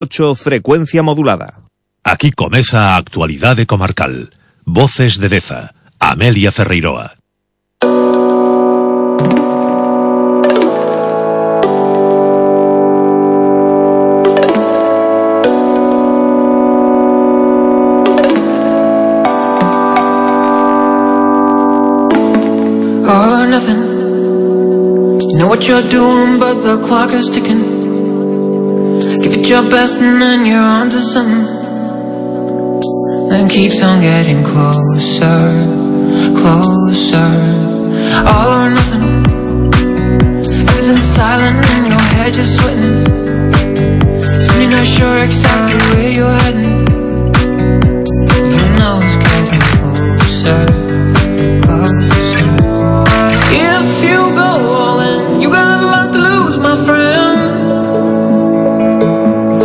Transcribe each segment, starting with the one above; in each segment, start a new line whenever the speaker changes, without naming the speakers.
107.8 frecuencia modulada.
Aquí comeza a actualidade comarcal. Voces de Deza, Amelia Ferreiroa.
All or nothing. You know what you're doing, but the clock is ticking. Give it your best and then you're on to something. Then keeps on getting closer, closer. All or nothing. Everything's silent in your head, you're sweating. Soon you're not sure exactly where you're heading. You know it's getting closer, closer. If you go all in, you got a lot to lose, my friend.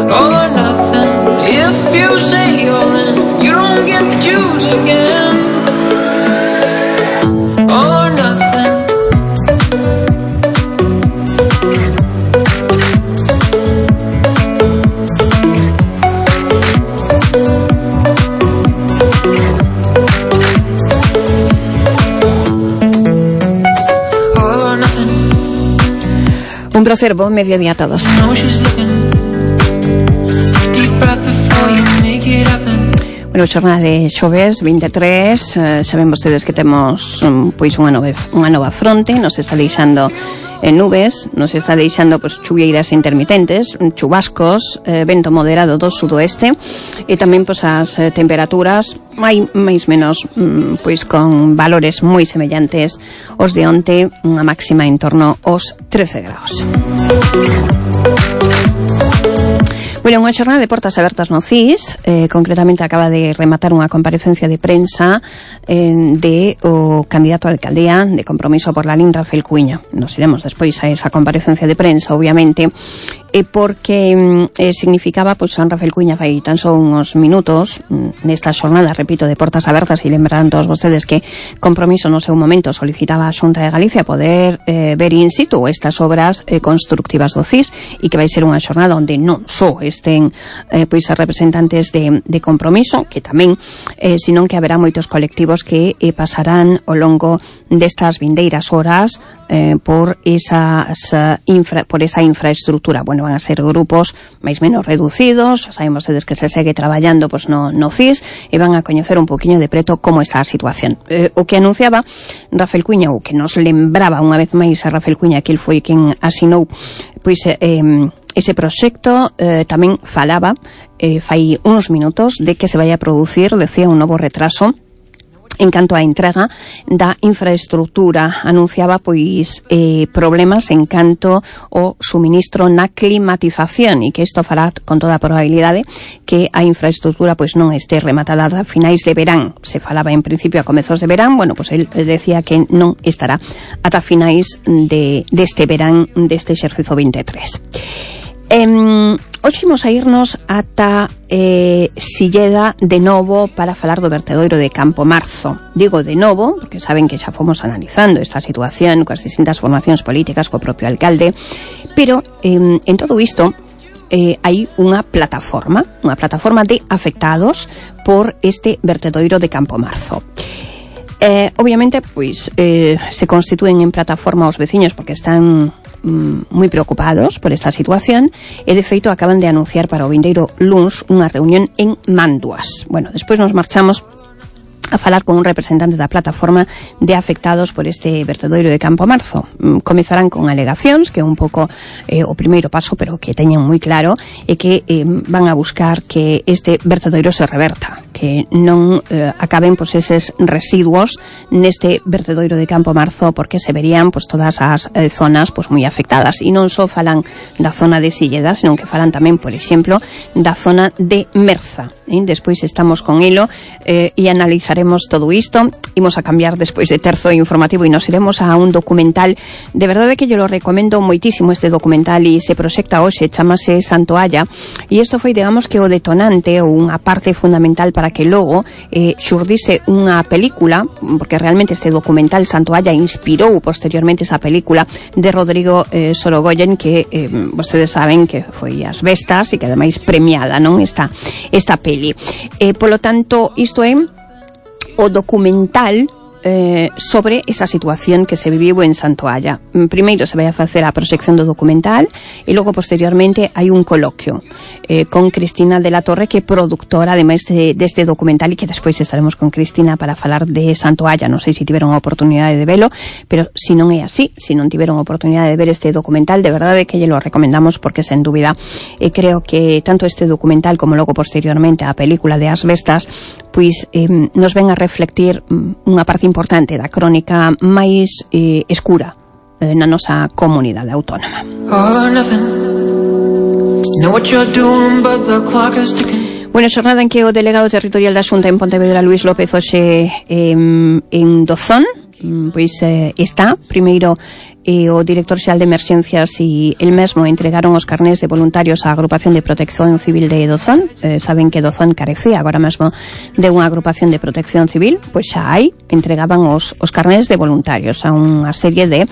All or nothing. If you say all in, you don't get to choose again. All or nothing.
Un placer, buen mediodía a todos. Bueno, xornada de xoves 23, saben vostedes que temos pois unha nova fronte, nos está deixando nubes, nos está deixando pois chuvieiras intermitentes, chubascos, vento moderado do sudoeste e tamén pois as temperaturas máis menos pois con valores moi semellantes aos de onte, unha máxima en torno aos 13 graus. Bueno, unha xornada de portas abertas no CIS, concretamente acaba de rematar unha comparecencia de prensa de o candidato a alcaldía de Compromiso por Lalín, Rafael Cuíña. Nos iremos despois a esa comparecencia de prensa, obviamente, porque significaba, pois, San Rafael Cuíña fai tan só uns minutos nesta xornada, repito, de portas abertas, e lembrarán todos vostedes que Compromiso no seu momento solicitaba a Xunta de Galicia poder ver in situ estas obras constructivas do CIS, e que vai ser unha xornada onde non só estén pois as representantes de Compromiso, que tamén, senón que haberá moitos colectivos que pasarán ao longo destas vindeiras horas por esa infraestructura. Bueno, van a ser grupos máis menos reducidos, xa saben vostedes que se segue traballando pois no CIS, e van a coñecer un poquinho de preto como está a situación. O que anunciaba Rafael Cuíña, o que nos lembraba unha vez máis a Rafael Cuíña, que el foi quen asinou pois ese proxecto, tamén falaba fai uns minutos de que se vai a producir, decía, un novo retraso en canto á entrega da infraestructura. Anunciaba pois problemas en canto ao suministro na climatización, e que isto fará con toda a probabilidade que a infraestructura pois non este rematada a finais de verán. Se falaba en principio a comezos de verán, bueno, pois el decía que non estará ata finais deste verán deste exercicio 23. Hoxe imos a irnos ata Silleda de novo para falar do vertedoiro de Campo Marzo. Digo de novo porque saben que xa fomos analizando esta situación coas distintas formacións políticas, co propio alcalde, pero en todo isto hai unha plataforma de afectados por este vertedoiro de Campo Marzo. Obviamente, pois se constitúen en plataforma os veciños porque están moi preocupados por esta situación, e de feito acaban de anunciar para o vindeiro luns unha reunión en Manduas. Bueno, despois nos marchamos a falar con un representante da plataforma de afectados por este vertedoiro de Campo Marzo. Comezarán con alegacións, que é un pouco o primeiro paso, pero que teñen moi claro, e que van a buscar que este vertedoiro se reverta, que non acaben pois eses residuos neste vertedoiro de Campo Marzo, porque se verían pois todas as zonas pois moi afectadas, e non só falan da zona de Silleda, senón que falan tamén, por exemplo, da zona de Merza. Despois estamos con elo e analizaremos todo isto. Imos a cambiar despois de terzo informativo e nos iremos a un documental. De verdade que yo lo recomendo moitísimo este documental, e se proxecta hoxe, chamase Santoalla, e isto foi, digamos, que o detonante ou unha parte fundamental para que logo xurdise unha película, porque realmente este documental Santoalla inspirou posteriormente esa película de Rodrigo Sorogoyen, que vostedes saben que foi As Bestas e que ademais premiada, non, esta peli. Polo tanto, isto é o documental sobre esa situación que se viviu en Santoalla. Primeiro se vai a facer a proxección do documental e logo posteriormente hai un coloquio con Cristina de la Torre, que é productora ademais deste documental, e que despois estaremos con Cristina para falar de Santoalla. Non sei se tiveron a oportunidade de velo, pero se non é así, se non tiveron a oportunidade de ver este documental, de verdade que lle lo recomendamos, porque sen dúbida creo que tanto este documental como logo posteriormente a película de As Bestas pois nos ven a reflectir unha parte importante da crónica máis escura na nosa comunidade autónoma. Bueno, xornada en que o delegado territorial da Xunta en Pontevedra, Luís López, hoxe en Dozón, pois está primeiro o director xeral de emerxencias e el mesmo entregaron os carnés de voluntarios á agrupación de protección civil de Dozón. Saben que Dozón carecía agora mesmo de unha agrupación de protección civil, pois xa hai, entregaban os carnés de voluntarios a unha serie de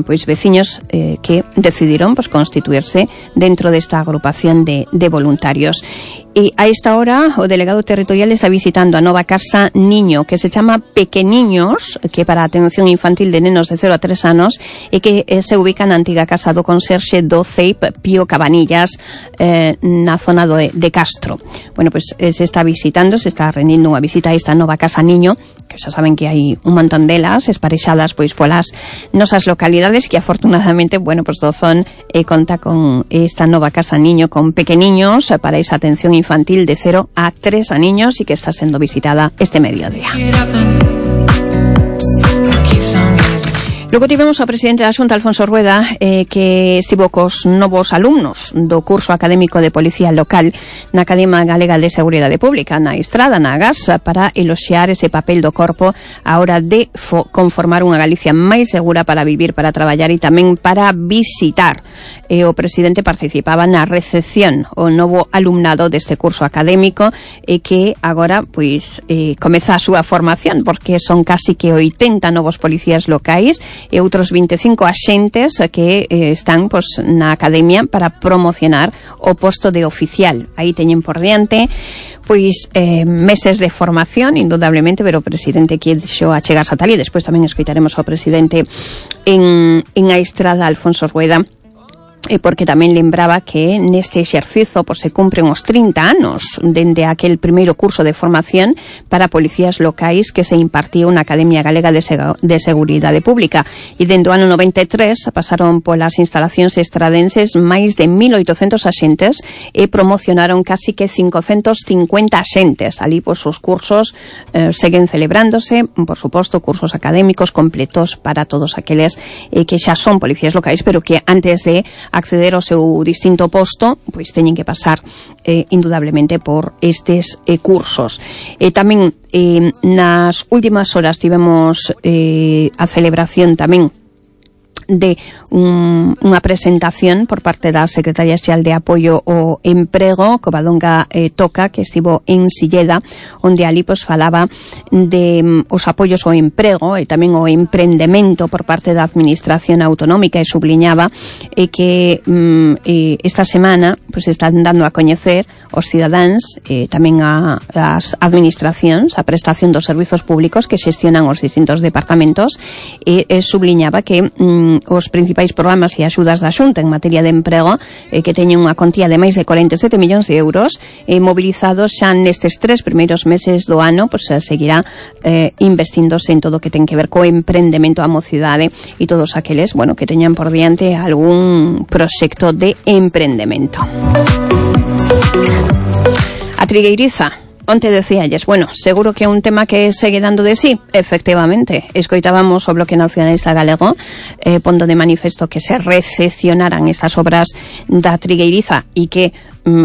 pois veciños que decidiron pois constituirse dentro desta agrupación de voluntarios. E a esta hora o delegado territorial está visitando a nova casa niño, que se chama Pequeniños, que para a atención infantil de nenos de 0 a 3 anos, e que se ubica na antiga casa do conserxe do CEIP Pío Cabanillas, na zona de Castro. Bueno, pois se está visitando, se está rendindo unha visita a esta nova casa niño, que xa saben que hai un montón delas esparexadas pois polas nosas localidades, que afortunadamente, bueno, pois Dozón conta con esta nova casa niño con pequeniños para esa atención infantil de 0 a 3 a niños, e que está sendo visitada este mediodía. Logo tivemos ao presidente da Xunta, Alfonso Rueda, que estivo cos novos alumnos do curso académico de Policía Local na Academia Galega de Seguridade Pública, na Estrada, na Agas, para eloxiar ese papel do corpo a hora de conformar unha Galicia máis segura para vivir, para traballar e tamén para visitar. O presidente participaba na recepción o novo alumnado deste curso académico, que agora pois comeza a súa formación, porque son casi que 80 novos policías locais e outros 25 axentes que están pois na academia para promocionar o posto de oficial. Aí teñen por diante pois meses de formación, indudablemente, pero o presidente quixo achegarse a tal, e despois tamén escoitaremos ao presidente en a Estrada, Alfonso Rueda, porque tamén lembraba que neste exercizo pois, se cumpren os 30 anos dende aquel primeiro curso de formación para policías locais que se impartiu na Academia Galega de Seguridade Pública, e dende o ano 93 pasaron polas instalacións estradenses máis de 1.800 axentes e promocionaron casi que 550 axentes. Ali pois, os cursos seguen celebrándose, por suposto, cursos académicos completos para todos aqueles que xa son policías locais, pero que antes de acceder ao seu distinto posto, pois teñen que pasar indudablemente por estes cursos. Tamén nas últimas horas tivemos a celebración tamén de unha presentación por parte da Secretaría Xeral de Apoio ao Emprego, Covadonga Toca, que estivo en Silleda, onde ali pois falaba de os apoios ao emprego e tamén ao emprendemento por parte da Administración Autonómica, e subliñaba que esta semana pois están dando a coñecer os cidadáns tamén as administracións a prestación dos servizos públicos que xestionan os distintos departamentos, e subliñaba que os principais programas e axudas da Xunta en materia de emprego que teñen unha contía de máis de 47 millóns de euros mobilizados xa nestes 3 primeiros meses do ano, pois seguirá investíndose en todo o que ten que ver co emprendemento a mocidade e todos aqueles, bueno, que teñan por diante algún proxecto de emprendemento. A Trigueiriza, onte decíalles, bueno, seguro que é un tema que segue dando de sí. Efectivamente, escoitábamos o Bloque Nacionalista Galego pondo de manifesto que se recepcionaran estas obras da Trigueiriza e que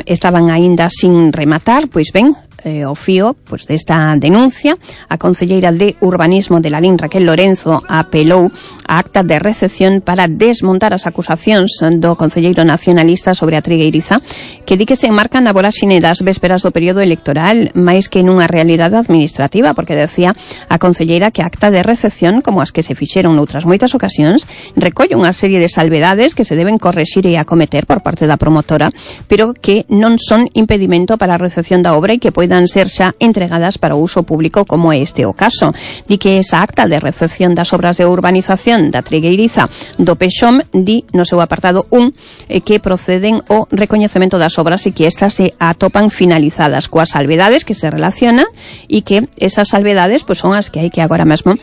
estaban aínda sin rematar. Pois ben, o fío pues desta denuncia. A concelleira de Urbanismo de Lalín, Raquel Lorenzo, apelou a acta de recepción para desmontar as acusacións do concelleiro nacionalista sobre a trigueiriza, que di que se enmarcan na voraxine das vésperas do período electoral máis que nunha realidade administrativa, porque decía a concelleira que a acta de recepción, como as que se fixeron noutras moitas ocasións, recolle unha serie de salvedades que se deben correxir e acometer por parte da promotora, pero que non son impedimento para a recepción da obra e que poidan ser xa entregadas para o uso público, como é este o caso. Di que esa acta de recepción das obras de urbanización da trigueiriza do Pexom di no seu apartado 1 que proceden o recoñecemento das obras e que estas se atopan finalizadas coas salvedades que se relacionan e que esas salvedades pues son as que hai que agora mesmo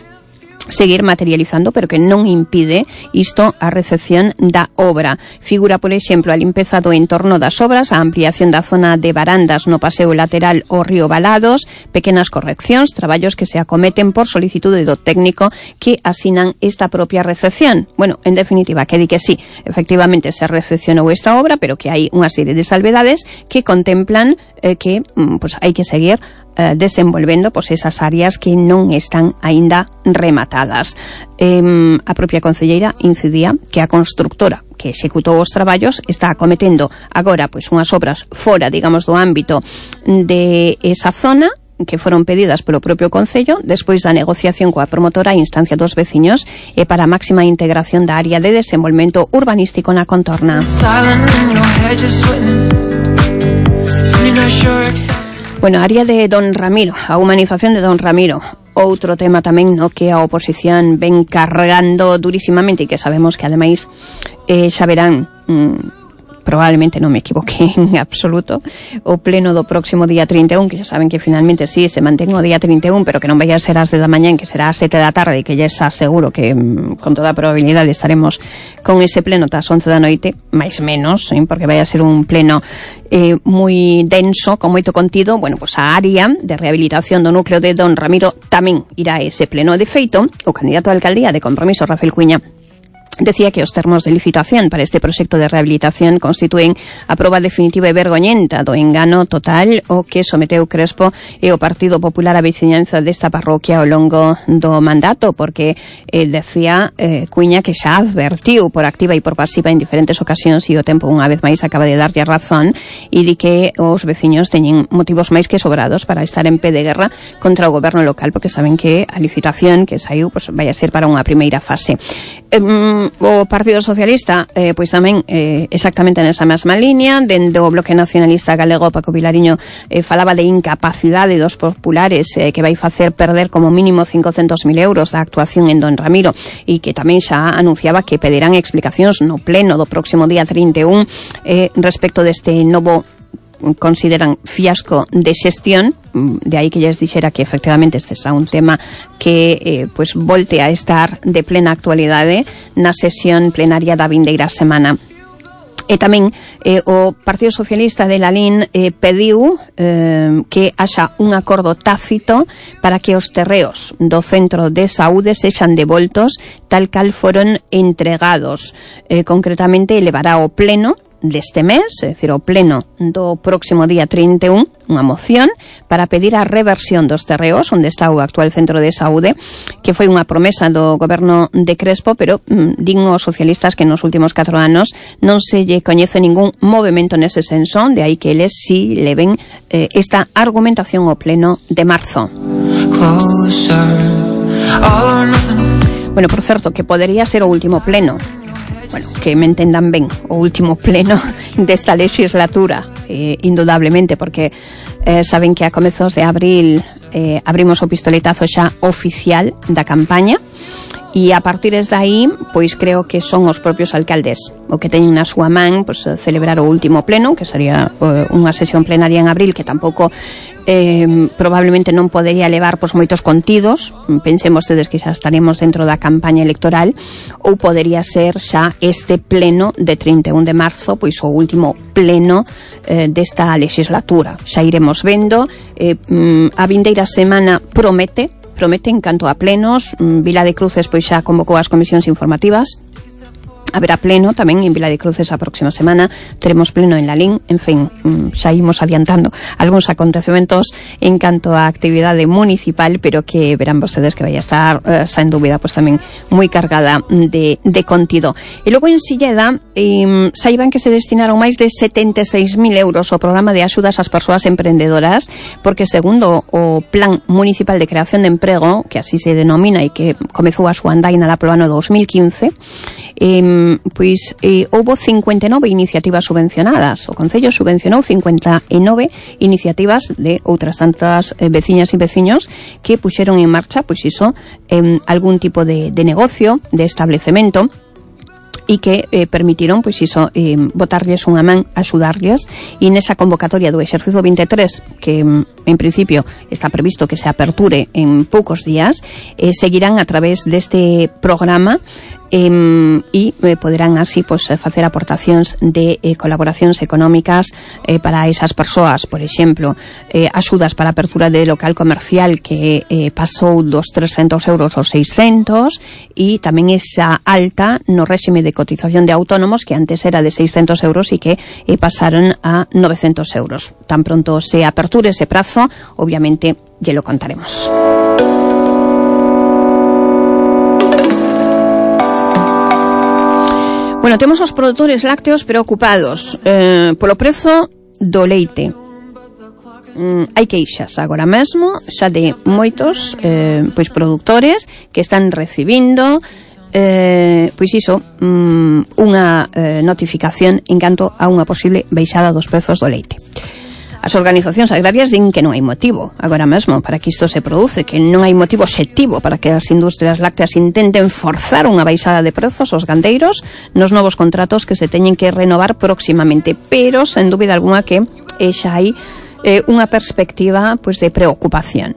seguir materializando, pero que non impide isto a recepción da obra. Figura, por exemplo, a limpeza do entorno das obras, a ampliación da zona de barandas no paseo lateral ao río Balados, pequenas correccións, traballos que se acometen por solicitude do técnico que asinan esta propia recepción. Bueno, en definitiva, que di que sí, efectivamente se recepcionou esta obra, pero que hai unha serie de salvedades que contemplan que pues hai que seguir desenvolvendo pues esas áreas que non están aínda rematadas. A propia concelleira incidía que a constructora que executou os traballos está acometendo agora pues unhas obras fora, digamos, do ámbito de esa zona, que foron pedidas polo propio Concello despois da negociación coa promotora a instancia dos veciños e para a máxima integración da área de desenvolvemento urbanístico na contorna. Bueno, a área de Don Ramiro, a humanización de Don Ramiro, outro tema tamén no que a oposición ven cargando durísimamente e que sabemos que ademais xa verán, probablemente non me equivoqué en absoluto, o pleno do próximo día 31, que xa saben que finalmente sí, se mantén o día 31, pero que non vai a ser ás 10 da mañán, que será ás 7 da tarde, e que ya xa seguro que con toda a probabilidade estaremos con ese pleno tas 11 da noite, máis menos, porque vai a ser un pleno moi denso, con moito contido. Bueno, pues a área de rehabilitación do núcleo de Don Ramiro tamén irá a ese pleno. De feito, o candidato a alcaldía de Compromiso, Rafael Cuiña, decía que os termos de licitación para este proxecto de rehabilitación constitúen a proba definitiva e vergoñenta do engano total o que someteu Crespo e o Partido Popular a veciñanza desta parroquia ao longo do mandato, porque decía Cuiña que xa advertiu por activa e por pasiva en diferentes ocasións e o tempo unha vez máis acaba de darlle a razón, e di que os veciños teñen motivos máis que sobrados para estar en pé de guerra contra o goberno local, porque saben que a licitación que saiu pues vai a ser para unha primeira fase. O Partido Socialista pois tamén exactamente nesa mesma línea. Dende o Bloque Nacionalista Galego, Paco Vilariño falaba de incapacidade dos populares que vai facer perder como mínimo 500.000 euros da actuación en Don Ramiro, e que tamén xa anunciaba que pedirán explicacións no pleno do próximo día 31 respecto deste novo, consideran, fiasco de xestión. De aí que lles dixera que efectivamente este é un tema que pues volte a estar de plena actualidade na sesión plenaria da vindeira semana. E tamén o Partido Socialista de Lalín pediu que haxa un acordo tácito para que os terreos do centro de saúde sexan devoltos tal cal foron entregados. Concretamente elevará ao pleno deste mes, é dicir, o pleno do próximo día 31, unha moción para pedir a reversión dos terreos onde está o actual centro de saúde, que foi unha promesa do goberno de Crespo, pero din os socialistas que nos últimos 4 anos non se lle coñece ningún movimento nese senso, de aí que eles si leven esta argumentación ao pleno de marzo. Bueno, por certo, que podería ser o último pleno. Bueno, que me entendan ben, o último pleno desta legislatura, indudablemente, porque saben que a comezos de abril abrimos o pistoletazo xa oficial da campaña, e a partir de aí, pois creo que son os propios alcaldes o que teñen na súa man pois, celebrar o último pleno, que sería unha sesión plenaria en abril, que tampouco probablemente non podería levar pois, moitos contidos. Pensemos ustedes que xa estaremos dentro da campaña electoral, ou podería ser xa este pleno de 31 de marzo, pois o último pleno desta legislatura. Xa iremos vendo. A vindeira semana promete en canto a plenos. Vila de Cruces pois xa convocou as comisións informativas Haberá pleno tamén en Vila de Cruces a próxima semana, teremos pleno en Lalín, en fin, xa imos adiantando algúns acontecementos en canto á actividade municipal, pero que verán vostedes que vai a estar, sen dúbida, pues tamén moi cargada de contido. E logo en Silleda, saiban que se destinaron máis de 76.000 euros ao programa de axudas ás persoas emprendedoras, porque segundo o Plan Municipal de Creación de Emprego, que así se denomina e que comezou a súa andaina lá polo ano 2015, houbo 59 iniciativas subvencionadas. O Concello subvencionou 59 iniciativas de outras tantas veciñas e veciños que puxeron en marcha, algún tipo de negocio, de establecemento, e que permitiron, botarlles unha man, axudarlles, e nesa convocatoria do exercicio 23, que en principio está previsto que se aperture en poucos días, seguirán a través deste programa e poderán así facer aportacións de colaboracións económicas para esas persoas, por exemplo, axudas para a apertura de local comercial que pasou dos 300 euros aos 600, e tamén esa alta no réxime de cotización de autónomos que antes era de 600 euros e que pasaron a 900 euros. Tan pronto se aperture ese prazo, obviamente ya lo contaremos. Bueno, temos os produtores lácteos preocupados polo prezo do leite. Hai queixas agora mesmo xa de moitos produtores que están recibindo unha notificación en canto a unha posible baixada dos prezos do leite. As organizacións agrarias din que non hai motivo agora mesmo para que isto se produce, que non hai motivo obxectivo para que as industrias lácteas intenten forzar unha baixada de prezos aos gandeiros nos novos contratos que se teñen que renovar próximamente, pero sen dúbida alguna que xa hai unha perspectiva de preocupación.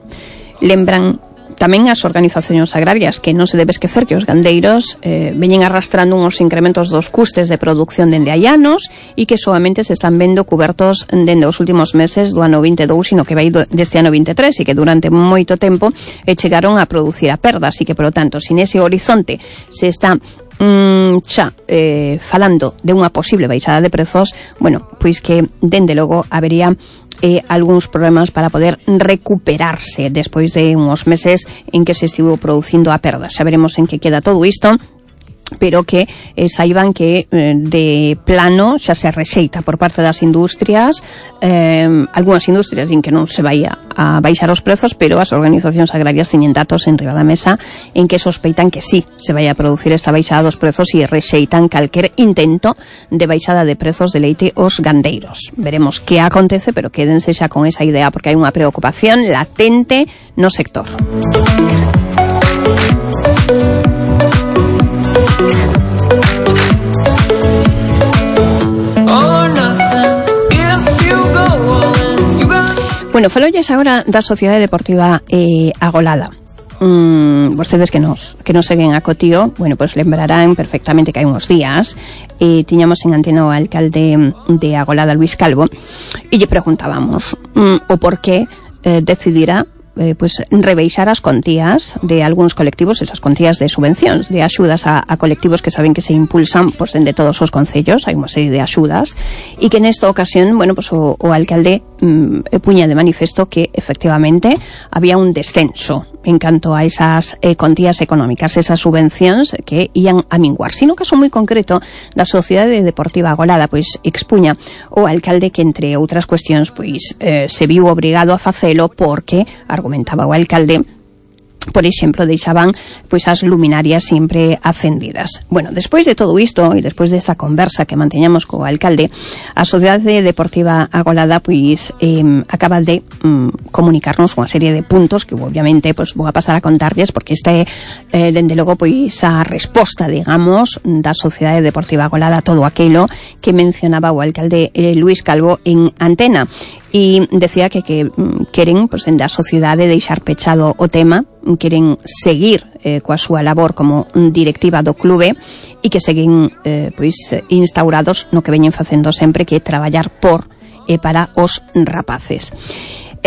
Lembran tamén as organizacións agrarias que non se debe esquecer que os gandeiros veñen arrastrando uns incrementos dos custes de producción dende hai anos e que solamente se están vendo cubertos dende os últimos meses do ano 22, sino que vai deste ano 23, e que durante moito tempo chegaron a producir a perdas, e que, polo tanto, sin ese horizonte se está falando de unha posible baixada de prezos, que dende logo habería algúns problemas para poder recuperarse despois de uns meses en que se estivo producindo a perda. Xa veremos en que queda todo isto, pero que saiban que de plano xa se rexeita por parte das industrias. Algúnas industrias din que non se vai a baixar os prezos, pero as organizacións agrarias teñen datos en riba da mesa en que sospeitan que sí se vai a producir esta baixada dos prezos e rexeitan calquer intento de baixada de prezos de leite aos gandeiros. Veremos que acontece, pero quédense xa con esa idea, porque hai unha preocupación latente no sector. Bueno, falolles agora da Sociedade Deportiva Agolada. Vostedes que nos seguen a Cotío, lembrarán perfectamente que hai uns días tiñamos en antena o alcalde de Agolada, Luis Calvo, e lle preguntábamos o por que decidira rebeixar as contías de algúns colectivos, esas contías de subvencións, de axudas a colectivos que saben que se impulsan dende todos os concellos, hai unha serie de axudas, e que nesta ocasión, o alcalde puña de manifesto que efectivamente había un descenso en canto a esas contías económicas, esas subvencións que ian a minguar. Sino caso moi concreto da Sociedade Deportiva Agolada, expuña o alcalde que, entre outras cuestións, se viu obrigado a facelo porque, argumentaba o alcalde, por exemplo, deixaban as luminarias sempre acendidas. Bueno, despois de todo isto e despois desta conversa que manteñamos co alcalde, a Sociedade Deportiva Agolada acaba de comunicarnos unha serie de puntos que obviamente vou a pasar a contarlles, porque esta é dende logo a resposta, digamos, da Sociedade Deportiva Agolada a todo aquilo que mencionaba o alcalde Luis Calvo en antena. E decía que queren, da sociedade, deixar pechado o tema, queren seguir coa súa labor como directiva do clube e que seguen instaurados no que veñen facendo sempre, que é traballar por e para os rapaces.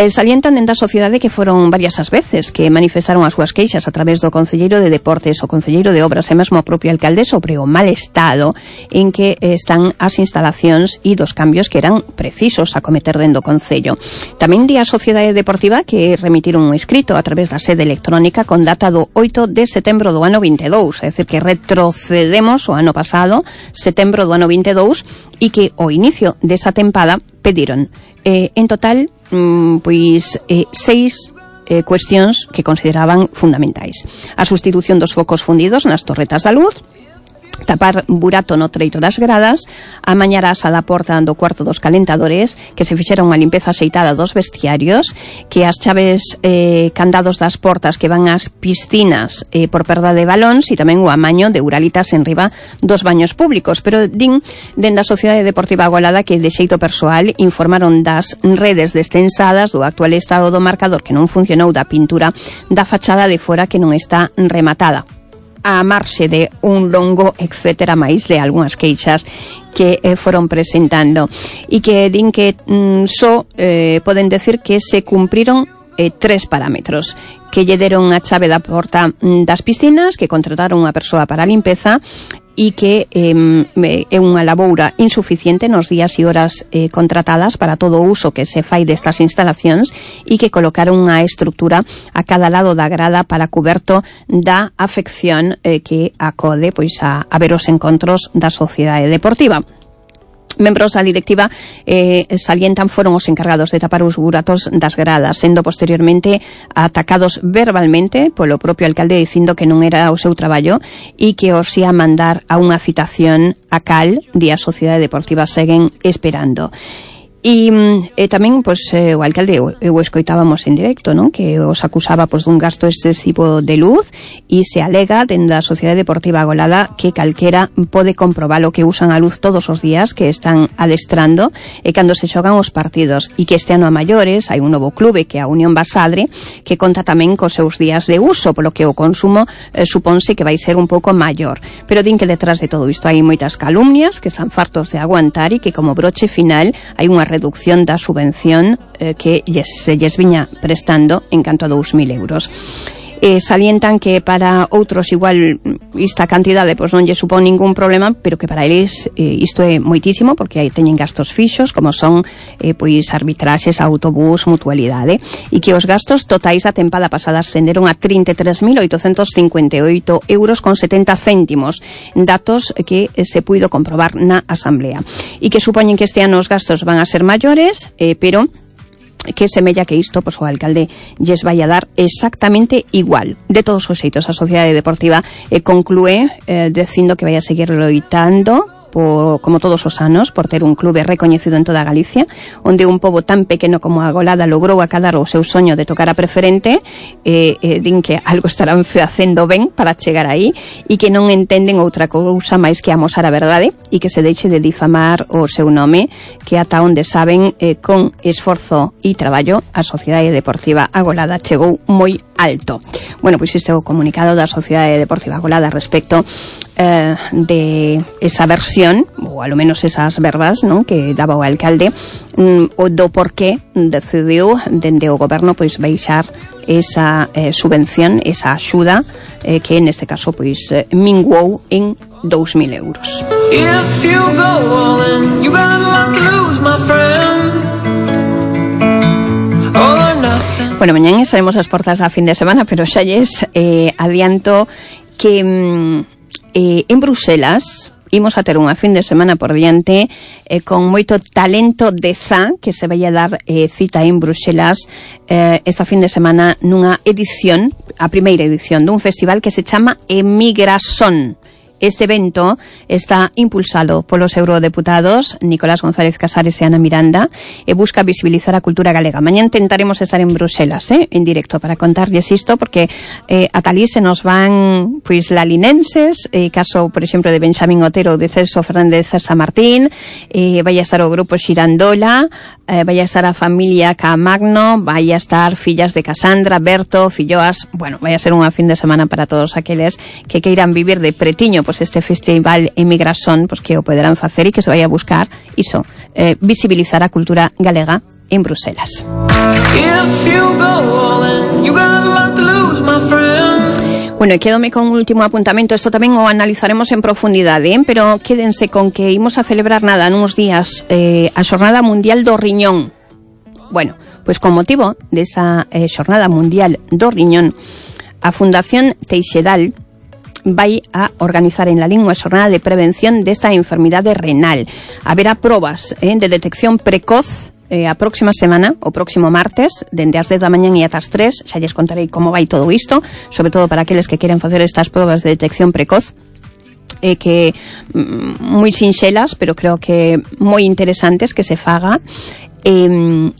Salientan dentro da sociedade que foron varias as veces que manifestaron as súas queixas a través do Concelleiro de Deportes, o Concelleiro de Obras e mesmo o propio alcalde sobre o mal estado en que están as instalacións e dos cambios que eran precisos a cometer dentro do Concello. Tamén di a Sociedade Deportiva que remitiron un escrito a través da sede electrónica con data do 8 de setembro do ano 22, é dicir, que retrocedemos o ano pasado, setembro do ano 22, e que ao inicio desa tempada pediron en total pois 6 cuestións que consideraban fundamentais: a sustitución dos focos fundidos nas torretas da luz, tapar burato no treito das gradas, amañar a asa da porta do cuarto dos calentadores, que se fixera unha limpeza axeitada dos vestiarios, que as chaves candados das portas que van ás piscinas por perda de balóns, e tamén o amaño de uralitas en riba dos baños públicos. Pero din dende a Sociedade Deportiva Agolada que de xeito persoal informaron das redes descensadas, do actual estado do marcador que non funcionou, da pintura da fachada de fora que non está rematada, a marxe de un longo etcétera máis de algunhas queixas que foron presentando, e que din que só poden decir que se cumpriron 3 parámetros: que lle deron a chave da porta das piscinas, que contrataron unha persoa para a limpeza, e que é unha laboura insuficiente nos días e horas contratadas para todo o uso que se fai destas instalacións, e que colocaron unha estructura a cada lado da grada para cuberto da afección que acode pois a ver os encontros da sociedade deportiva. Membros da directiva salientan foron os encargados de tapar os buratos das gradas, sendo posteriormente atacados verbalmente polo propio alcalde dicindo que non era o seu traballo e que os ia mandar a unha citación a cal di a Sociedade Deportiva seguen esperando. E tamén, pois, o alcalde o escoitábamos en directo, non? Que os acusaba, pois, dun gasto excesivo de luz, e se alega dende a Sociedade Deportiva Agolada que calquera pode comprobalo, que usan a luz todos os días que están adestrando e cando se xogan os partidos, e que este ano a maiores hai un novo clube que é a Unión Basadre, que conta tamén cos seus días de uso, polo que o consumo suponse que vai ser un pouco maior. Pero din que detrás de todo isto hai moitas calumnias que están fartos de aguantar, e que como broche final hai unha reducción da subvención que se lles viña prestando en canto a 2.000 euros. Salientan que para outros igual esta cantidade pois non lle supón ningún problema, pero que para eles isto é moitísimo, porque aí teñen gastos fixos como son pois arbitraxes, autobús, mutualidade, e que os gastos totais da tempada pasada ascenderon a 33.858 euros con 70 céntimos, datos que se puido comprobar na asamblea, e que supoñen que este ano os gastos van a ser maiores, pero que semella que isto, pois, o alcalde lles vai a dar exactamente igual. De todos os xeitos, a Sociedade Deportiva conclúe dicindo que vai a seguir loitando como todos os anos, por ter un clube recoñecido en toda Galicia, onde un pobo tan pequeno como a Agolada logrou acadar o seu soño de tocar a preferente. Din que algo estarán facendo ben para chegar aí, e que non entenden outra cousa máis que amosar a verdade, e que se deixe de difamar o seu nome, que ata onde saben, con esforzo e traballo, a Sociedade Deportiva Agolada chegou moi alto. Bueno, pois este é o comunicado da Sociedade Deportiva Agolada respecto de esa versión, ou alo menos esas verbas, non, que daba o alcalde, o do porqué decidiu dende o goberno pois baixar esa subvención, esa axuda que neste caso pois minguou en 2.000 euros.
If you go all in, you got a lot to lose, my friend. All or nothing.
Bueno, mañán estaremos ás portas da fin de semana, pero xa lles adianto que en Bruselas imos a ter unha fin de semana por diante con moito talento de ZA, que se vai a dar cita en Bruselas esta fin de semana nunha edición, a primeira edición dun festival que se chama Emigrasón. Este evento está impulsado polos eurodeputados Nicolás González Casares e Ana Miranda e busca visibilizar a cultura galega. Mañá intentaremos estar en Bruselas, en directo, para contarlles isto, porque a talí se nos van pois lalinenses, caso, por exemplo, de Benxamín Otero, de Celso Fernández Samartín, vai a estar o grupo Xirandola, vai a estar a familia Caamagno, vai a estar fillas de Casandra, Berto, filloas. Bueno, vai a ser unha fin de semana para todos aqueles que queiran vivir de pretiño pues este festival Emigrasón, pues que o poderán facer e que se vai a buscar iso, visibilizar a cultura galega en Bruselas. Bueno, e quédome con un último apuntamento. Isto tamén o analizaremos en profundidade, pero quédense con que imos a celebrar nada nuns días a Xornada Mundial do Riñón. Bueno, pois con motivo desa Xornada Mundial do Riñón, a Fundación Teixedal vai a organizar en Lalín unha xornada de prevención desta enfermidade renal. Haberá probas de detección precoz a próxima semana, o próximo martes, dende as 10 da mañán e ata as 3, xa lles contarei como vai todo isto, sobre todo para aqueles que queren facer estas probas de detección precoz, que moi sinxelas, pero creo que moi interesantes que se faga, e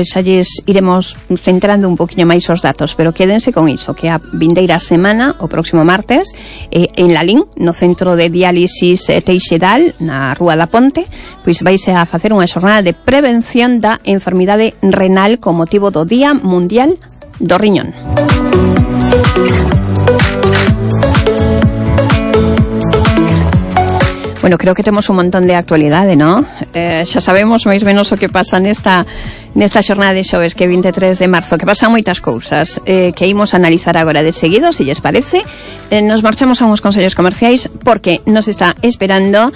xa lles iremos centrando un poquinho máis os datos, pero quédense con iso, que a vindeira semana, o próximo martes, en Lalín, no centro de diálisis Teixedal, na Rúa da Ponte, pois vaise a facer unha xornada de prevención da enfermidade renal con motivo do Día Mundial do Riñón. Bueno, creo que temos un montón de actualidade, ¿no? Xa sabemos máis ou menos o que pasa nesta xornada de xoves, que é 23 de marzo, que pasan moitas cousas, que imos a analizar agora de seguido, se lles parece. Nos marchamos a uns consellos comerciais, porque nos está esperando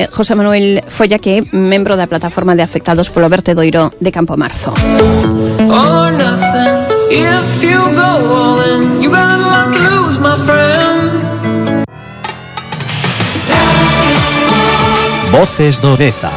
José Manuel Folla, que é membro da plataforma de afectados polo vertedoiro de Campo Marzo.
Or nothing. If you go all in, you got a lot to lose, my friend.
Voces do Deza.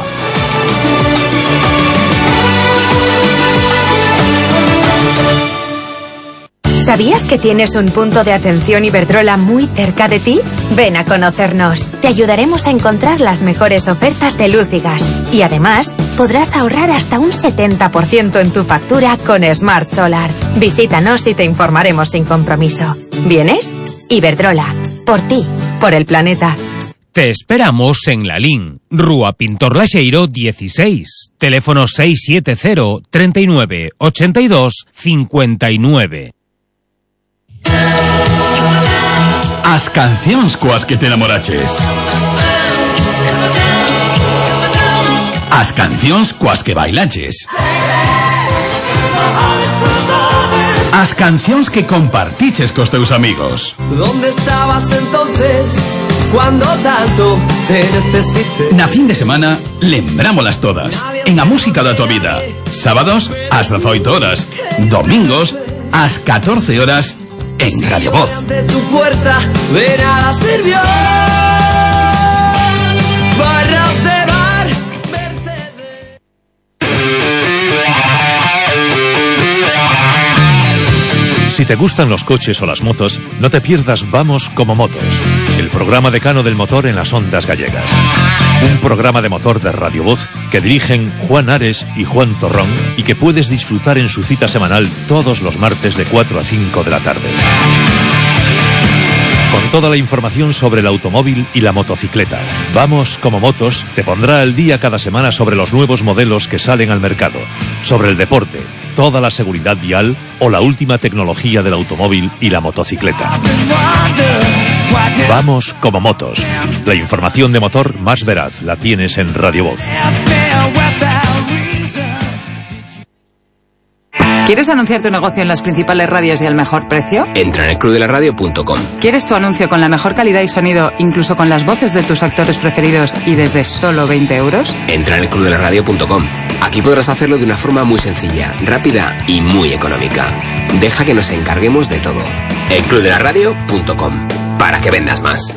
¿Sabías que tienes un punto de atención Iberdrola muy cerca de ti? Ven a conocernos. Te ayudaremos a encontrar las mejores ofertas de luz y gas. Y además, podrás ahorrar hasta un 70% en tu factura con Smart Solar. Visítanos y te informaremos sin compromiso. ¿Vienes? Iberdrola. Por ti. Por el planeta.
Te esperamos en Lalín, Rúa Pintor Laxeiro 16, teléfono 670 39 82 59.
As cancións coas que te enamoraches. As cancións coas que bailaches. As cancións que compartiches cos teus amigos.
¿Dónde estabas entonces cuando tanto te necesité?
Na fin de semana, lembrámolas todas. En a música da tua vida. Sábados, ás 18 horas. Domingos, ás 14 horas, en Radio Voz.
De tu puerta de nada sirvió. Barras de bar, Mercedes.
Si te gustan los coches o las motos, no te pierdas Vamos como Motos, el programa decano del motor en las ondas gallegas. Un programa de motor de Radio Voz que dirigen Juan Ares y Juan Torrón y que puedes disfrutar en su cita semanal todos los martes de 4 a 5 de la tarde. Con toda la información sobre el automóvil y la motocicleta. Vamos como Motos te pondrá al día cada semana sobre los nuevos modelos que salen al mercado, sobre el deporte, toda la seguridad vial o la última tecnología del automóvil y la motocicleta. Vamos como Motos. La información de motor más veraz la tienes en Radio Voz.
¿Quieres anunciar tu negocio en las principales radios y al mejor precio?
Entra en elclubdelaradio.com.
¿Quieres tu anuncio con la mejor calidad y sonido, incluso con las voces de tus actores preferidos y desde solo 20 euros?
Entra en elclubdelaradio.com. Aquí podrás hacerlo de una forma muy sencilla, rápida y muy económica. Deja que nos encarguemos de todo. elclubdelaradio.com. Para que vendas más.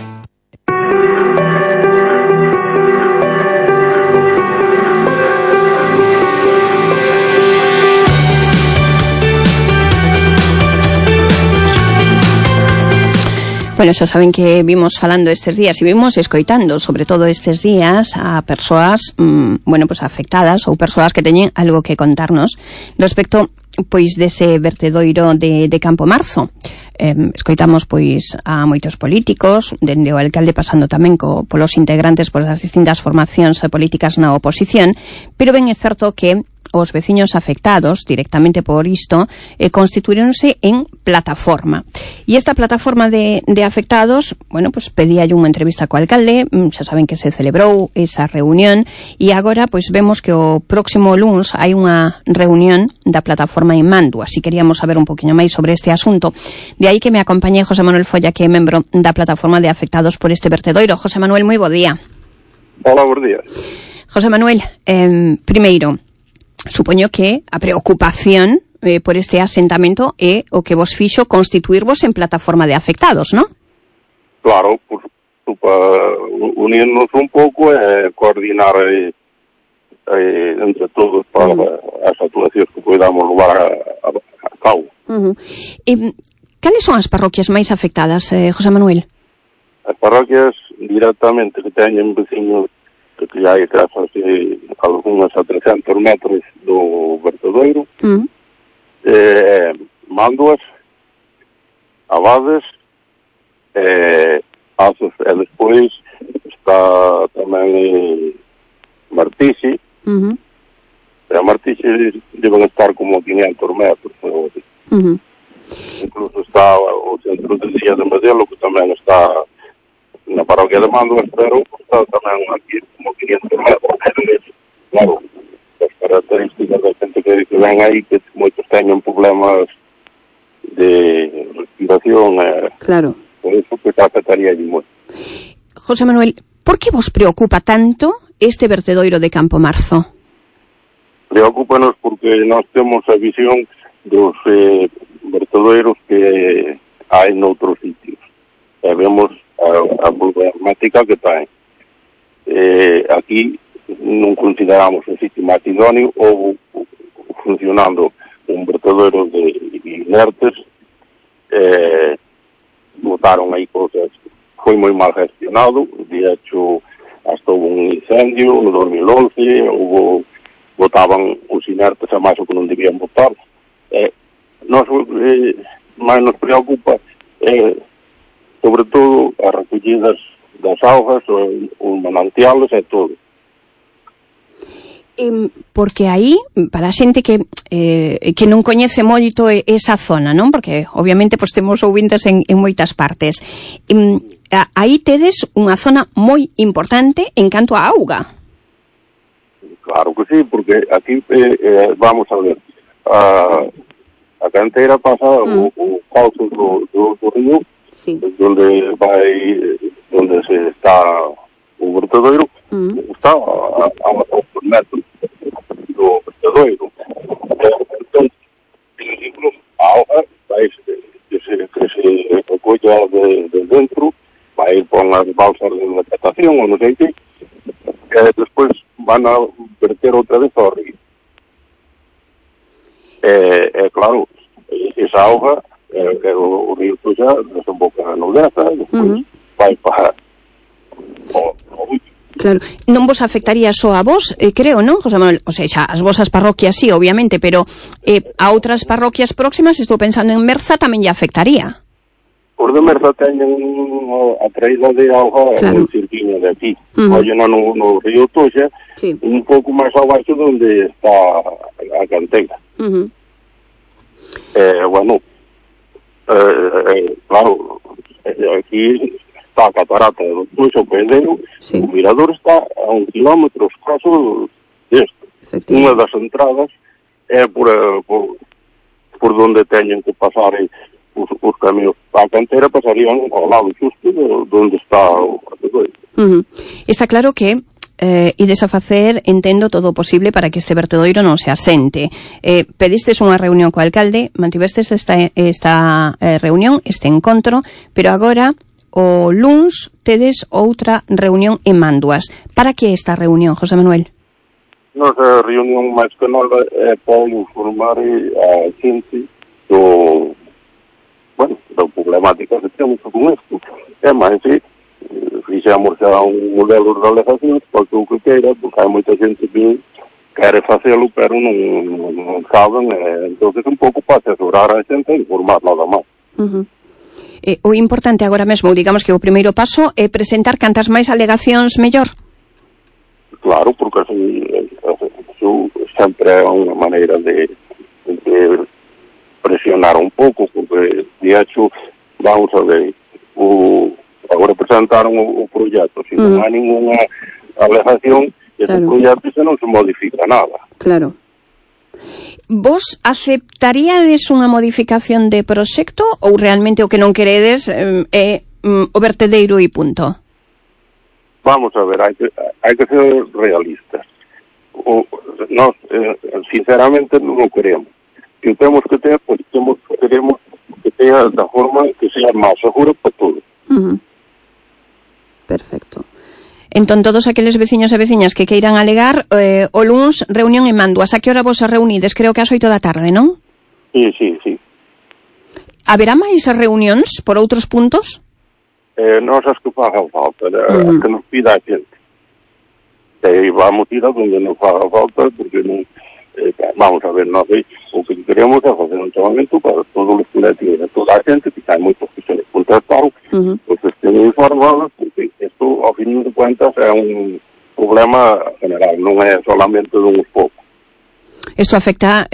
Bueno, xa saben que vimos falando estes días e vimos escoitando, sobre todo estes días, a persoas, bueno, pues afectadas ou persoas que teñen algo que contarnos respecto, pois, dese vertedoiro de Campo Marzo. Escoitamos, pois, a moitos políticos, dende o alcalde pasando tamén polos integrantes das distintas formacións políticas na oposición, pero ben é certo que os veciños afectados directamente por isto constituíronse en plataforma. E esta plataforma de afectados, bueno, pues pedíalle unha entrevista co alcalde, xa saben que se celebrou esa reunión e agora pues vemos que o próximo luns hai unha reunión da plataforma en Manduas e queríamos saber un poquinho máis sobre este asunto. De aí que me acompañe José Manuel Folla, que é membro da plataforma de afectados por este vertedoiro. José Manuel, moi bo día.
Hola, bons días.
José Manuel, primeiro, supoño que a preocupación por este asentamento é o que vos fixo constituirvos en plataforma de afectados, non?
Claro, para unirnos un pouco e coordinar entre todos para as actuacións que podamos levar a cabo.
Cales son as parroquias máis afectadas, José Manuel?
As parroquias directamente que teñen veciños que hai casas algunhas a 300 metros do vertedoiro, Manduas, Abades, Azos, e despois está tamén Martixe, e a Martixe deben estar como 500 metros, incluso está o centro de día de Medelo, que tamén está na parroquia de Manduas, pero está tamén aquí como 500 metros. Claro, as características da xente que ven aí, que moitos teñen problemas de respiración,
claro.
Por iso que afectaría allí moito.
José Manuel, por que vos preocupa tanto este vertedoiro de Campo Marzo?
Preocúpanos porque nós temos a visión dos vertedoiros que hai noutros sitios. E vemos a problemática que ten. Aquí non consideramos un sitio máis idóneo ou funcionando un vertedoiro de inertes, botaron aí cosas, foi moi mal gestionado, de hecho hasta houve un incendio no 2011, botaban os inertes a máis o que non debían botar. Máis nos preocupa sobre todo as recollidas das augas, os manantiales e todo.
Porque aí, para a xente que non coñece moito esa zona, non? Porque obviamente pues, temos ouvintes en moitas partes. Aí tedes unha zona moi importante en canto a auga.
Claro que sí, porque aquí vamos a ver, a canteira pasa o cauce do río, sí, donde se está o vertedoiro, está a unos 2 metros do vertedoiro. Entón, incluso a auga que se recolla de dentro, vai por as balsas de vegetación ou non sei que, despois van a verter outra vez ao río. Claro, esa auga o río Tuxa desemboca na Odeza, despois vai para o
Claro, non vos afectaría só a vos, creo, non, José Manuel? O sea, as vosas parroquias sí, obviamente, pero a outras parroquias próximas, estou pensando en Merza, tamén lle afectaría.
Os de Merza teñen a traída de auga no cirquinho de aquí. Ollo no río Tuxa, sí, un pouco máis abaixo onde está a canteira. Bueno, claro, aquí está a catarata do Tuxa, o Pedero, sí, o mirador está a 1 kilómetro escaso desto. Unha das entradas é por donde teñen que pasar os camiños. A canteira pasarían ao lado xusto onde está o vertedoiro.
Está claro que ides a facer, entendo, todo o posible para que este vertedoiro non se asente. Pedistes unha reunión co alcalde, mantivestes esta reunión, este encontro, pero agora o luns tedes outra reunión en Manduas. Para que esta reunión, José Manuel?
Nosa reunión máis que nada é para informar a xente da problemática que temos con isto. É máis, fixemos xa un modelo de alegacións para que o que queira, porque hai moita xente que quere facelo, pero non saben, entonces un pouco para asesorar a xente e informar nada máis.
O importante agora mesmo, digamos que o primeiro paso é presentar cantas máis alegacións mellor?
Claro, porque así iso sempre é unha maneira de presionar un pouco, porque de hecho, vamos a ver, agora presentaron o proxecto, se non hai ninguna alegación, ese proxecto se non se modifica nada.
Claro. Vos aceptaríades unha modificación de proxecto ou realmente o que non queredes é o vertedeiro e punto?
Vamos a ver, hai que ser realistas. Nós, sinceramente, non o queremos. Que temos que ter, pois queremos que tenha da forma que sea máis segura para todos.
Perfecto. Entón, todos aqueles veciños e veciñas que queiran alegar, o luns, reunión en Manduas. A que hora vos se reunides? Creo que ás 8 da tarde, non?
Sí.
Haberá máis reunións por outros puntos?
Nós as que fagan falta, as que nos pida a xente. Vamos ir a donde nos faga falta, porque non, vamos a ver, nós o que queremos é facer un chamamento para todos os colectivos, toda a xente, que hai moitos que se les contestaron, pois que estén informados, porque isto, ao fin de cuentas, é un problema general, non é solamente de uns poucos.
Isto afecta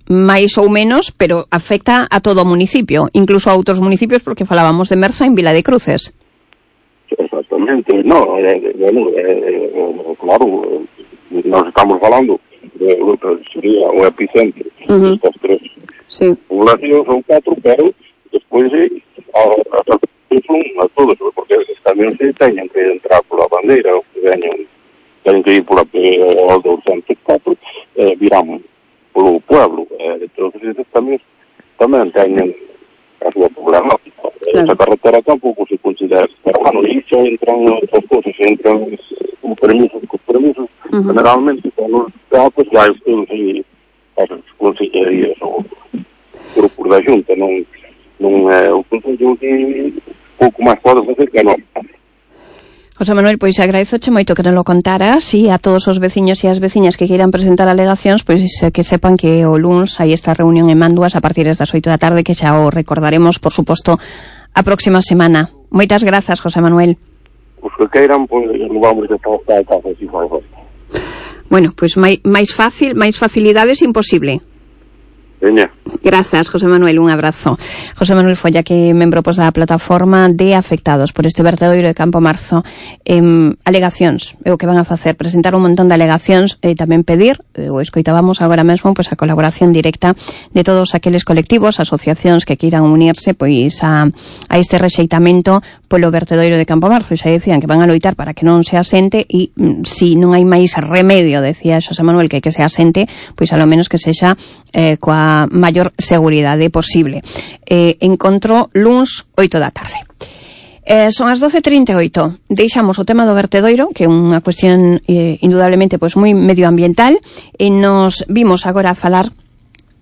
máis ou menos, pero afecta a todo o municipio, incluso a outros municipios, porque falábamos de Merza en Vila de Cruces.
Exactamente, no, claro, nós estamos falando de sería o epicentro destas tres poblacións, son 4, pero despois son a todos, porque os camións teñen que entrar pola bandeira, ou que teñen que ir pola P204, viramos polo pueblo, entonces esos camións tamén teñen a súa problemática. Esa carretera tampouco se considera, pero bueno, iso entran outras cosas, entran con permisos, generalmente con os datos vai todos aí as consellerías ou grupos da Xunta, non é o Consello que pouco máis pode facer que non.
José Manuel, pois agradezoche moito que nos lo contaras e a todos os veciños e as veciñas que queiran presentar alegacións, pois que sepan que o luns hai esta reunión en Manduas a partir das 8 da tarde, que xa o recordaremos, por suposto, a próxima semana. Moitas grazas, José Manuel.
Os que queiran, pois, vamos a estar a casa, si fai falta.
Bueno, pois máis facilidades imposible.
Veña.
Grazas, José Manuel, un abrazo. José Manuel Folla, que é membro da plataforma de afectados por este vertedoiro de Campo Marzo. Alegacións, é o que van a facer, presentar un montón de alegacións e tamén pedir, o escoitábamos agora mesmo, pois a colaboración directa de todos aqueles colectivos, asociacións que queiran unirse pois a este rexeitamento polo vertedoiro de Campo Marzo. E xa decían que van a loitar para que non se asente e si non hai máis remedio, decía José Manuel, que se asente, pois a lo menos que sexa coa maior seguridade posible. Encontro luns 8 da tarde. Son as 12:38. Deixamos o tema do vertedoiro, que é unha cuestión indudablemente pois moi medioambiental, e nos vimos agora a falar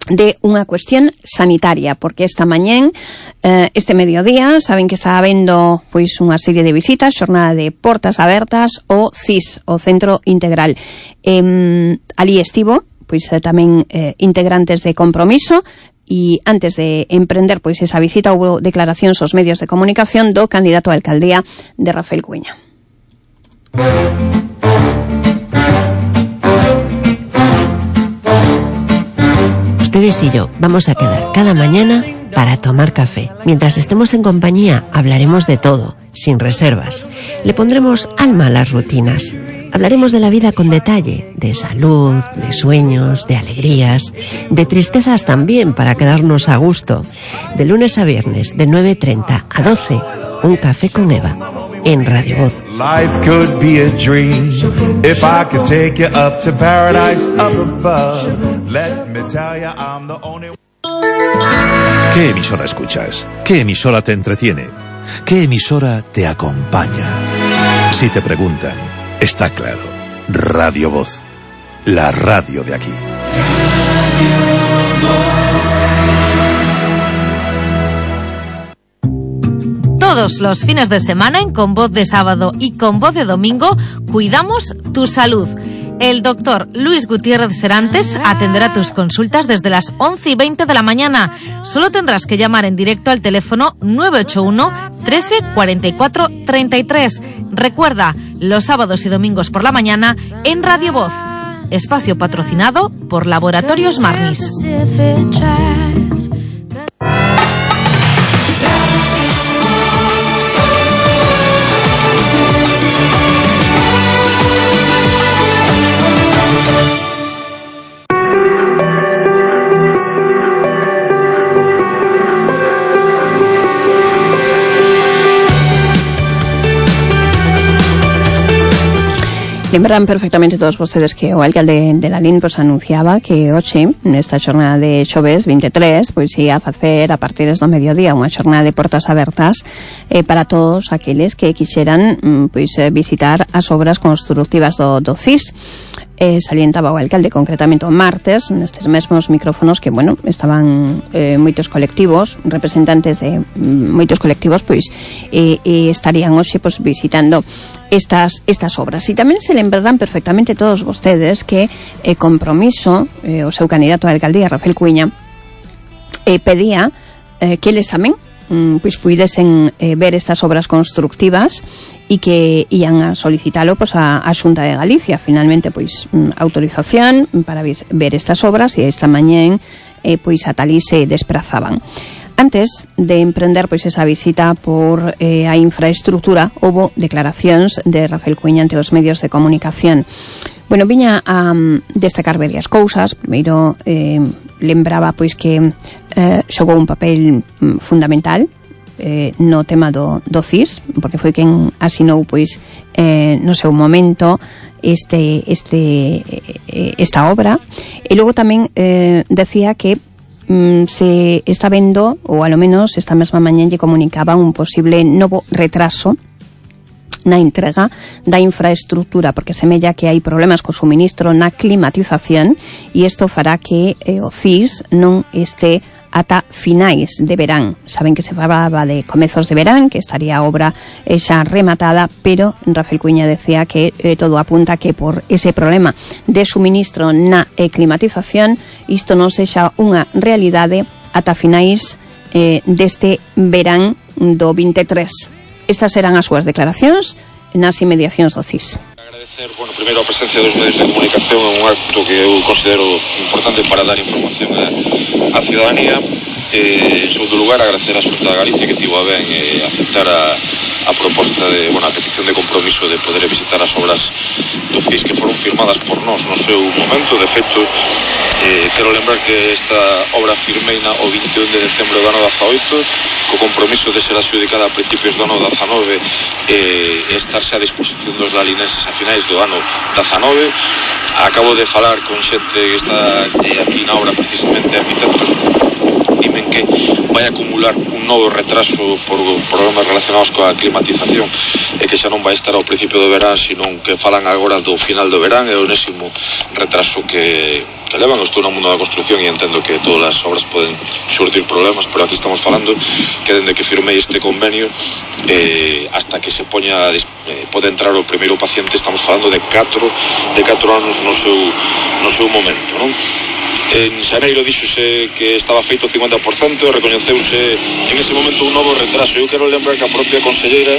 de unha cuestión sanitaria, porque esta mañén, este mediodía, saben que está habendo pois unha serie de visitas, xornada de portas abertas ao CIS, o Centro Integral. Ali estivo pois tamén integrantes de Compromiso, e antes de emprender pois esa visita houve declaracións aos medios de comunicación do candidato a alcaldía de Rafael Cuña.
Ustedes y yo vamos a quedar cada mañana para tomar café. Mientras estemos en compañía hablaremos de todo, sin reservas. Le pondremos alma a las rutinas. Hablaremos de la vida con detalle, de salud, de sueños, de alegrías, de tristezas también para quedarnos a gusto. De lunes a viernes, de 9:30 a 12, un café con Eva, en Radio Voz.
Life could be a dream if I could take you up to paradise up above. Let me tell you I'm the only...
¿Qué emisora escuchas? ¿Qué emisora te entretiene? ¿Qué emisora te acompaña? Si te preguntan, está claro, Radio Voz, la radio de aquí.
Todos los fines de semana en Con Voz de Sábado y Con Voz de Domingo cuidamos tu salud. El doctor Luis Gutiérrez Serantes atenderá tus consultas desde las 11:20 de la mañana. Solo tendrás que llamar en directo al teléfono 981 13 44 33. Recuerda, los sábados y domingos por la mañana en Radio Voz. espacio patrocinado por Laboratorios Marnis.
Lembran perfectamente todos vostedes que o alcalde de Lalín pues anunciaba que hoxe, nesta xornada de xoves 23, pois ia facer a partir do mediodía unha xornada de portas abertas para todos aqueles que quixeran pois visitar as obras constructivas do CIS. Salientaba o alcalde concretamente o martes nestes mesmos micrófonos que, bueno, estaban moitos colectivos, representantes de moitos colectivos pois estarían hoxe pois visitando estas obras. E tamén se lembrarán perfectamente todos vostedes que Compromiso, o seu candidato a alcaldía, Rafael Cuiña, pedía que eles tamén pois puidesen ver estas obras constructivas e que ian a solicitalo pois a Xunta de Galicia. Finalmente pois autorización para ver estas obras, e esta mañén pois ata alí se desprazaban. Antes de emprender pois esa visita por a infraestructura, houbo declaracións de Rafael Cuiña ante os medios de comunicación. Bueno, viña a destacar varias cousas. Primeiro, lembraba pois que xogou un papel fundamental no tema do CIS, porque foi quen asinou pois no seu momento esta obra. E logo tamén decía que se está vendo, ou alo menos esta mesma mañá lle comunicaban un posible novo retraso na entrega da infraestructura, porque semella que hai problemas co suministro na climatización, e isto fará que o CIS non este ata finais de verán. Saben que se falaba de comezos de verán, que estaría a obra xa rematada, pero Rafael Cuiña decía que todo apunta que por ese problema de suministro na climatización isto non sexa unha realidade ata finais deste verán do 23. Estas serán as súas declaracións nas inmediacións do CIS.
Agradecer, bueno, primeiro a presencia dos medios de comunicación, é un acto que eu considero importante para dar información á ciudadanía. En segundo lugar, agradecer a Xunta de Galicia que tivo a ben aceptar a proposta de, bueno, a petición de compromiso de poder visitar as obras do CIS que foron firmadas por nós no seu momento. De feito, quero lembrar que esta obra firmeina o 21 de decembro do ano 18, co compromiso de ser adxudicada a principios do ano 19 e estarse a disposición dos lalinenses a finais do ano 19. Acabo de falar con xente que está aquí na obra, precisamente arquitectos, dimen que vai acumular un novo retraso por problemas relacionados coa climatización e que xa non vai estar ao principio do verán, senón que falan agora do final do verán. É o enésimo retraso que levan. Estou no mundo da construcción e entendo que todas as obras poden surtir problemas, pero aquí estamos falando que dende que firmei este convenio hasta que se poña pode entrar o primeiro paciente, estamos falando de 4 anos no seu momento, non? En xaneiro díxose que estaba feito o 50%, recoñeceuse en ese momento un novo retraso. Eu quero lembrar que a propia conselleira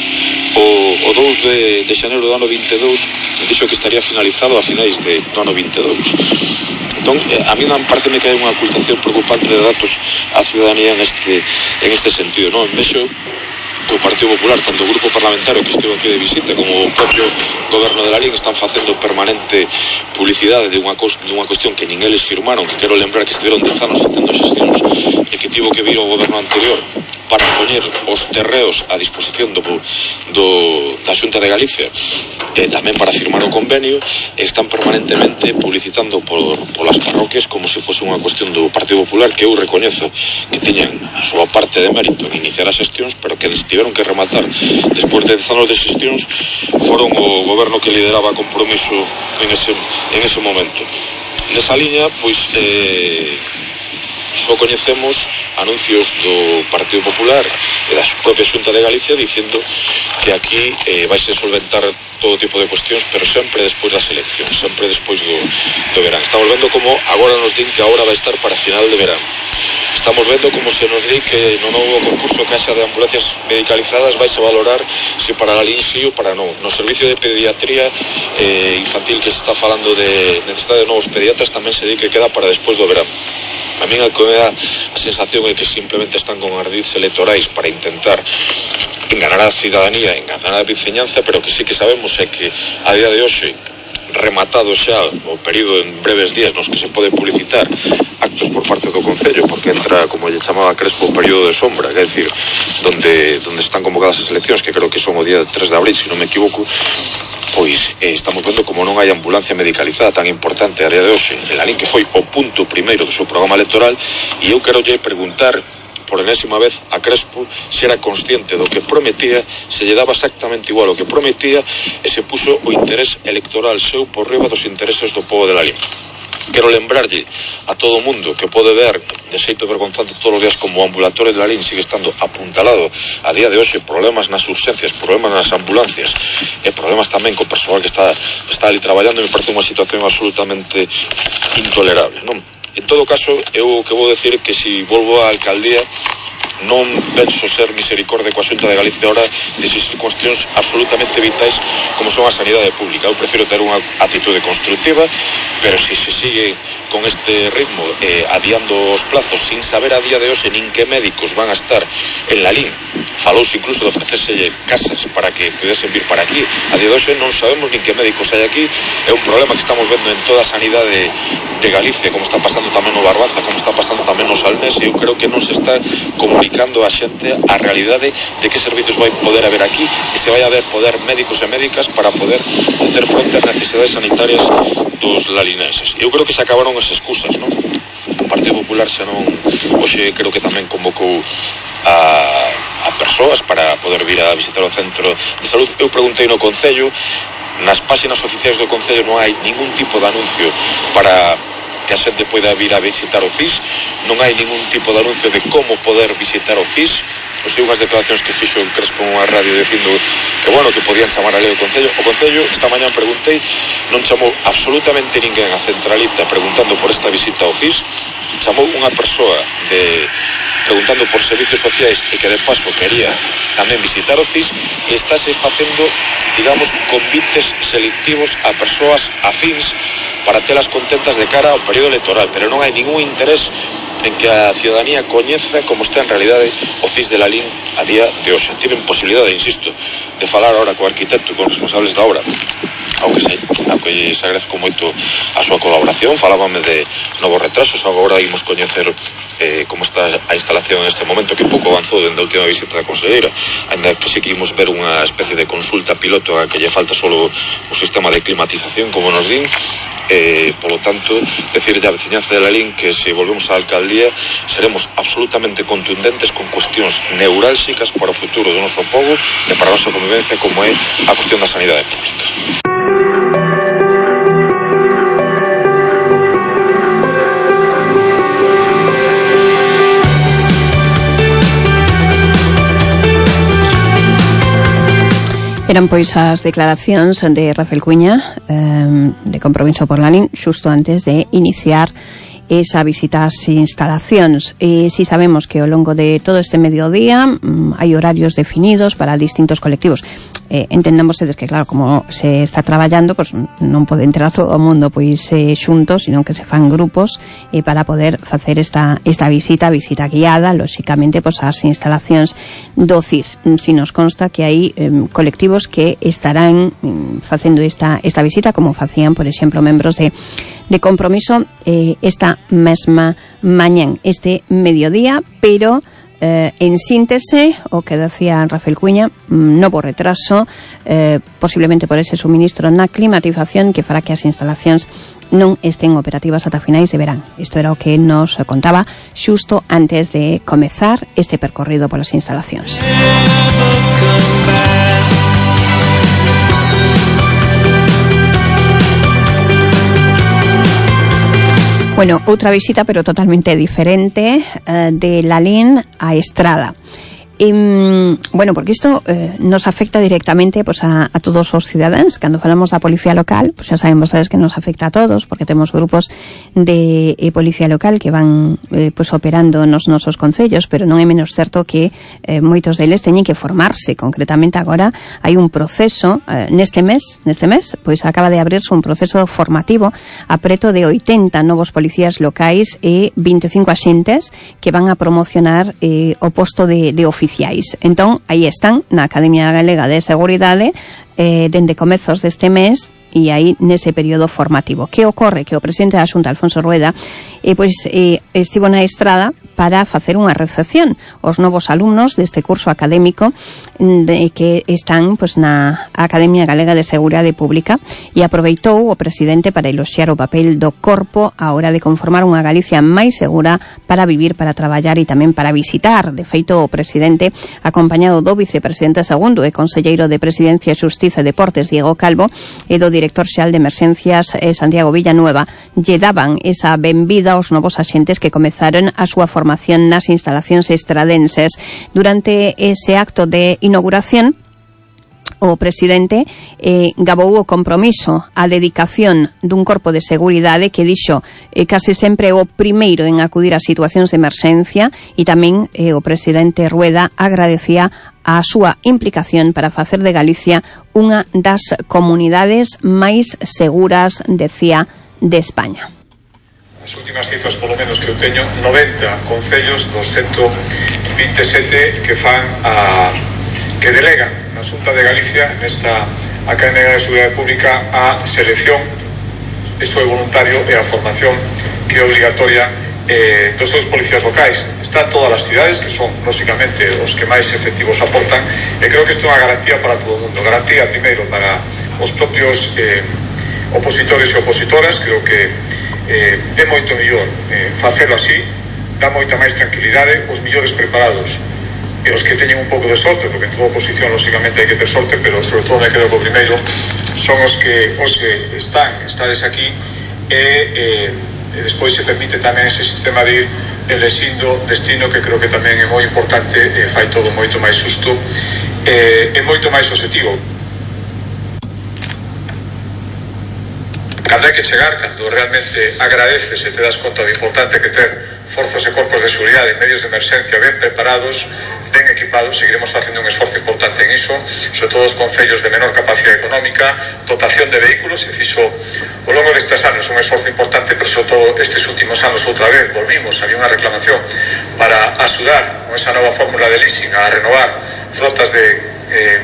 o 2 de xaneiro do ano 22 dixo que estaría finalizado a finais do ano 22. Entón, a mí pareceme que hai unha ocultación preocupante de datos á ciudadanía en este sentido, non? Vexo que o Partido Popular, tanto o grupo parlamentario que estivo aquí de visita como o propio goberno de Lalín, están facendo permanente publicidade de unha cuestión que nin eles firmaron, que quero lembrar que estiveron 10 anos facendo xestións e que tivo que vir o goberno anterior para poñer os terreos a disposición da Xunta de Galicia e tamén para firmar o convenio. Están permanentemente publicitando polas parroquias como se fose unha cuestión do Partido Popular, que eu recoñezo que tiñan a súa parte de mérito en iniciar as xestións, pero que tiveron que rematar despois de 10 anos de xestións foron o goberno que lideraba Compromiso en ese momento. Nesa liña, pois só coñecemos anuncios do Partido Popular e da propia Xunta de Galicia dicindo que aquí vaise solventar todo tipo de cuestións, pero sempre despois das eleccións, sempre despois do verán. Estamos vendo como agora nos din que a hora vai estar para final de verán. estamos vendo como se nos di que no novo concurso que haxa de ambulancias medicalizadas vais a valorar se para a LIN sí ou para non. No servicio de pediatría infantil que se está falando de necesidade de novos pediatras tamén se di que queda para despois do verano. A mí a que me dá a sensación é que simplemente están con ardides electorais para intentar enganar a cidadanía, enganar a viceñanza, pero que sí que sabemos é que a día de hoxe, rematado xa o período en breves días nos que se pode publicitar actos por parte do Concello, porque entra, como lle chamaba Crespo, o período de sombra, que é dicir, donde están convocadas as eleccións, que creo que son o día 3 de abril, se non me equivoco, pois estamos vendo como non hai ambulancia medicalizada tan importante a día de hoxe en LIN, que foi o punto primeiro do seu programa electoral, e eu quero lle preguntar por enésima vez a Crespo se era consciente do que prometía, se lle daba exactamente igual o que prometía e se puso o interés electoral seu por riba dos intereses do povo de LIN. Quero lembrarlle a todo o mundo que pode ver de xeito vergonzante todos os días como o ambulatorio de LIN sigue estando apuntalado a día de hoxe, problemas nas urxencias, problemas nas ambulancias e problemas tamén co persoal que está ali traballando, me parece unha situación absolutamente intolerable, non? En todo caso, eu que vou decir que se volvo á alcaldía non penso ser misericorde coa Xunta de Galicia ahora desas cuestións absolutamente vitais como son a sanidade pública. Eu prefiro ter unha actitude constructiva, pero se se sigue con este ritmo adiando os plazos sin saber a día de hoxe nin que médicos van a estar en LIN, falouse incluso de ofrecérselle casas para que pudesen vir para aquí, a día de hoxe non sabemos nin que médicos hai aquí. É un problema que estamos vendo en toda a sanidade de Galicia, como está pasando tamén no Barbanza, como está pasando tamén no Salnés, e eu creo que non se está comunicando a xente a realidade de que servicios vai poder haber aquí e se vai haber poder médicos e médicas para poder facer fronte ás necesidades sanitarias dos lalinenses. Eu creo que se acabaron as excusas, non? O Partido Popular xa non, hoxe creo que tamén convocou a persoas para poder vir a visitar o centro de salud. Eu preguntei no Concello, nas páxinas oficiais do Concello non hai ningún tipo de anuncio para que a xente poida vir a visitar o CIS, non hai ningún tipo de anuncio de como poder visitar o CIS. O sei unhas declaracións que fixo Crespo unha radio dicindo que bueno, que podían chamar a lei o Concello. O Concello, esta mañá preguntei, non chamou absolutamente ninguén a centralita preguntando por esta visita ao CIS, chamou unha persoa preguntando por servicios sociais e que de paso quería tamén visitar o CIS, e estáse facendo, digamos, convites selectivos a persoas afíns para telas contentas de cara ao período electoral, pero non hai ningún interés en que a ciudadanía coñeza como está en realidade o CIS de LIN a día de hoxe. Tiven posibilidade, insisto, de falar ahora co arquitecto e con responsables da obra, ao que se agradezco moito a súa colaboración. Falábame de novos retrasos, agora imos coñecer como está a instalación en este momento, que pouco avanzou dende a última visita da conselleira, ainda que sí que imos ver unha especie de consulta piloto a que lle falta solo o sistema de climatización, como nos din. Polo tanto, decirlle a veciñanza de LIN que se volvemos á alcaldía seremos absolutamente contundentes con cuestións neurálxicas para o futuro do noso povo e para a nosa convivencia, como é a cuestión da sanidade pública.
Eran pois as declaracións de Rafael Cuña de Compromiso por LIN xusto antes de iniciar esa visita ás instalacións. E si sabemos que ao longo de todo este mediodía hai horarios definidos para distintos colectivos. Entendamos que, claro, como se está traballando, pues non pode entrar todo o mundo pois xuntos, sino que se fan grupos para poder facer esta visita guiada, lóxicamente, pues ás instalacións do CIS. Si nos consta que hai colectivos que estarán facendo esta visita, como facían, por exemplo, membros de Compromiso esta mesma mañán, este mediodía, pero en síntese, o que decía Rafael Cuña, novo retraso, posiblemente por ese suministro na climatización que fará que as instalacións non estén operativas ata finais de verán. Isto era o que nos contaba xusto antes de comezar este percorrido polas instalacións. Bueno, outra visita, pero totalmente diferente, de LIN a Estrada. Bueno, porque isto nos afecta directamente pues a todos os cidadáns. Cando falamos da policía local, pues xa saben vostedes que nos afecta a todos, porque temos grupos de policía local que van pues operando nos nosos concellos, pero non é menos certo que moitos deles teñen que formarse. Concretamente agora hai un proceso neste mes, pois acaba de abrirse un proceso formativo a preto de 80 novos policías locais e 25 axentes que van a promocionar o posto de oficiais. Entón, aí están, na Academia Galega de Seguridade, dende comezos deste mes, e aí nese período formativo. Que ocorre? Que o presidente da Xunta, Alfonso Rueda, estivo na estrada para facer unha recepción aos novos alumnos deste curso académico que están pues, na Academia Galega de Seguridade Pública, e aproveitou o presidente para eloxiar o papel do corpo a hora de conformar unha Galicia máis segura para vivir, para traballar e tamén para visitar. De feito, o presidente, acompañado do vicepresidente segundo e conselleiro de Presidencia, Xustiza e Deportes, Diego Calvo, e do director xeral de Emerxencias, Santiago Villanueva, lle daban esa benvida aos novos axentes que comezaron a súa formación nas instalacións estradenses. Durante ese acto de inauguración, o presidente gabou o compromiso, a dedicación dun corpo de seguridade que dixo case sempre o primeiro en acudir a situacións de emerxencia, e tamén o presidente Rueda agradecía a súa implicación para facer de Galicia unha das comunidades máis seguras, decía, de España.
As últimas cifras, polo menos que eu teño, 90 concellos dos 127 que fan que delegan na Xunta de Galicia nesta Academia de Seguridade Pública a selección, iso é voluntario, e a formación que é obligatoria dos seus policías locais. Están todas as cidades, que son, lógicamente, os que máis efectivos aportan, e creo que isto é unha garantía para todo o mundo. Garantía, primeiro, para os propios opositores e opositoras. Creo que é moito mellor facelo así, dá moita máis tranquilidade. Os millores preparados e os que teñen un pouco de sorte, porque en toda oposición, lógicamente, hai que ter sorte, pero sobre todo me quedo co primeiro, son os que estades aquí, e despois se permite tamén ese sistema de ir elexindo destino, que creo que tamén é moi importante, fai todo moito máis xusto e moito máis objetivo. Cando hai que chegar, cando realmente agradeces e te das conta do importante que ter forzas e corpos de seguridade en medios de emerxencia ben preparados, ben equipados, seguiremos facendo un esforzo importante en iso, sobre todo os concellos de menor capacidade económica, dotación de vehículos. Se fixo ao longo destes anos un esforzo importante, pero sobre todo estes últimos anos outra vez volvimos, había unha reclamación para axudar con esa nova fórmula de leasing a renovar flotas de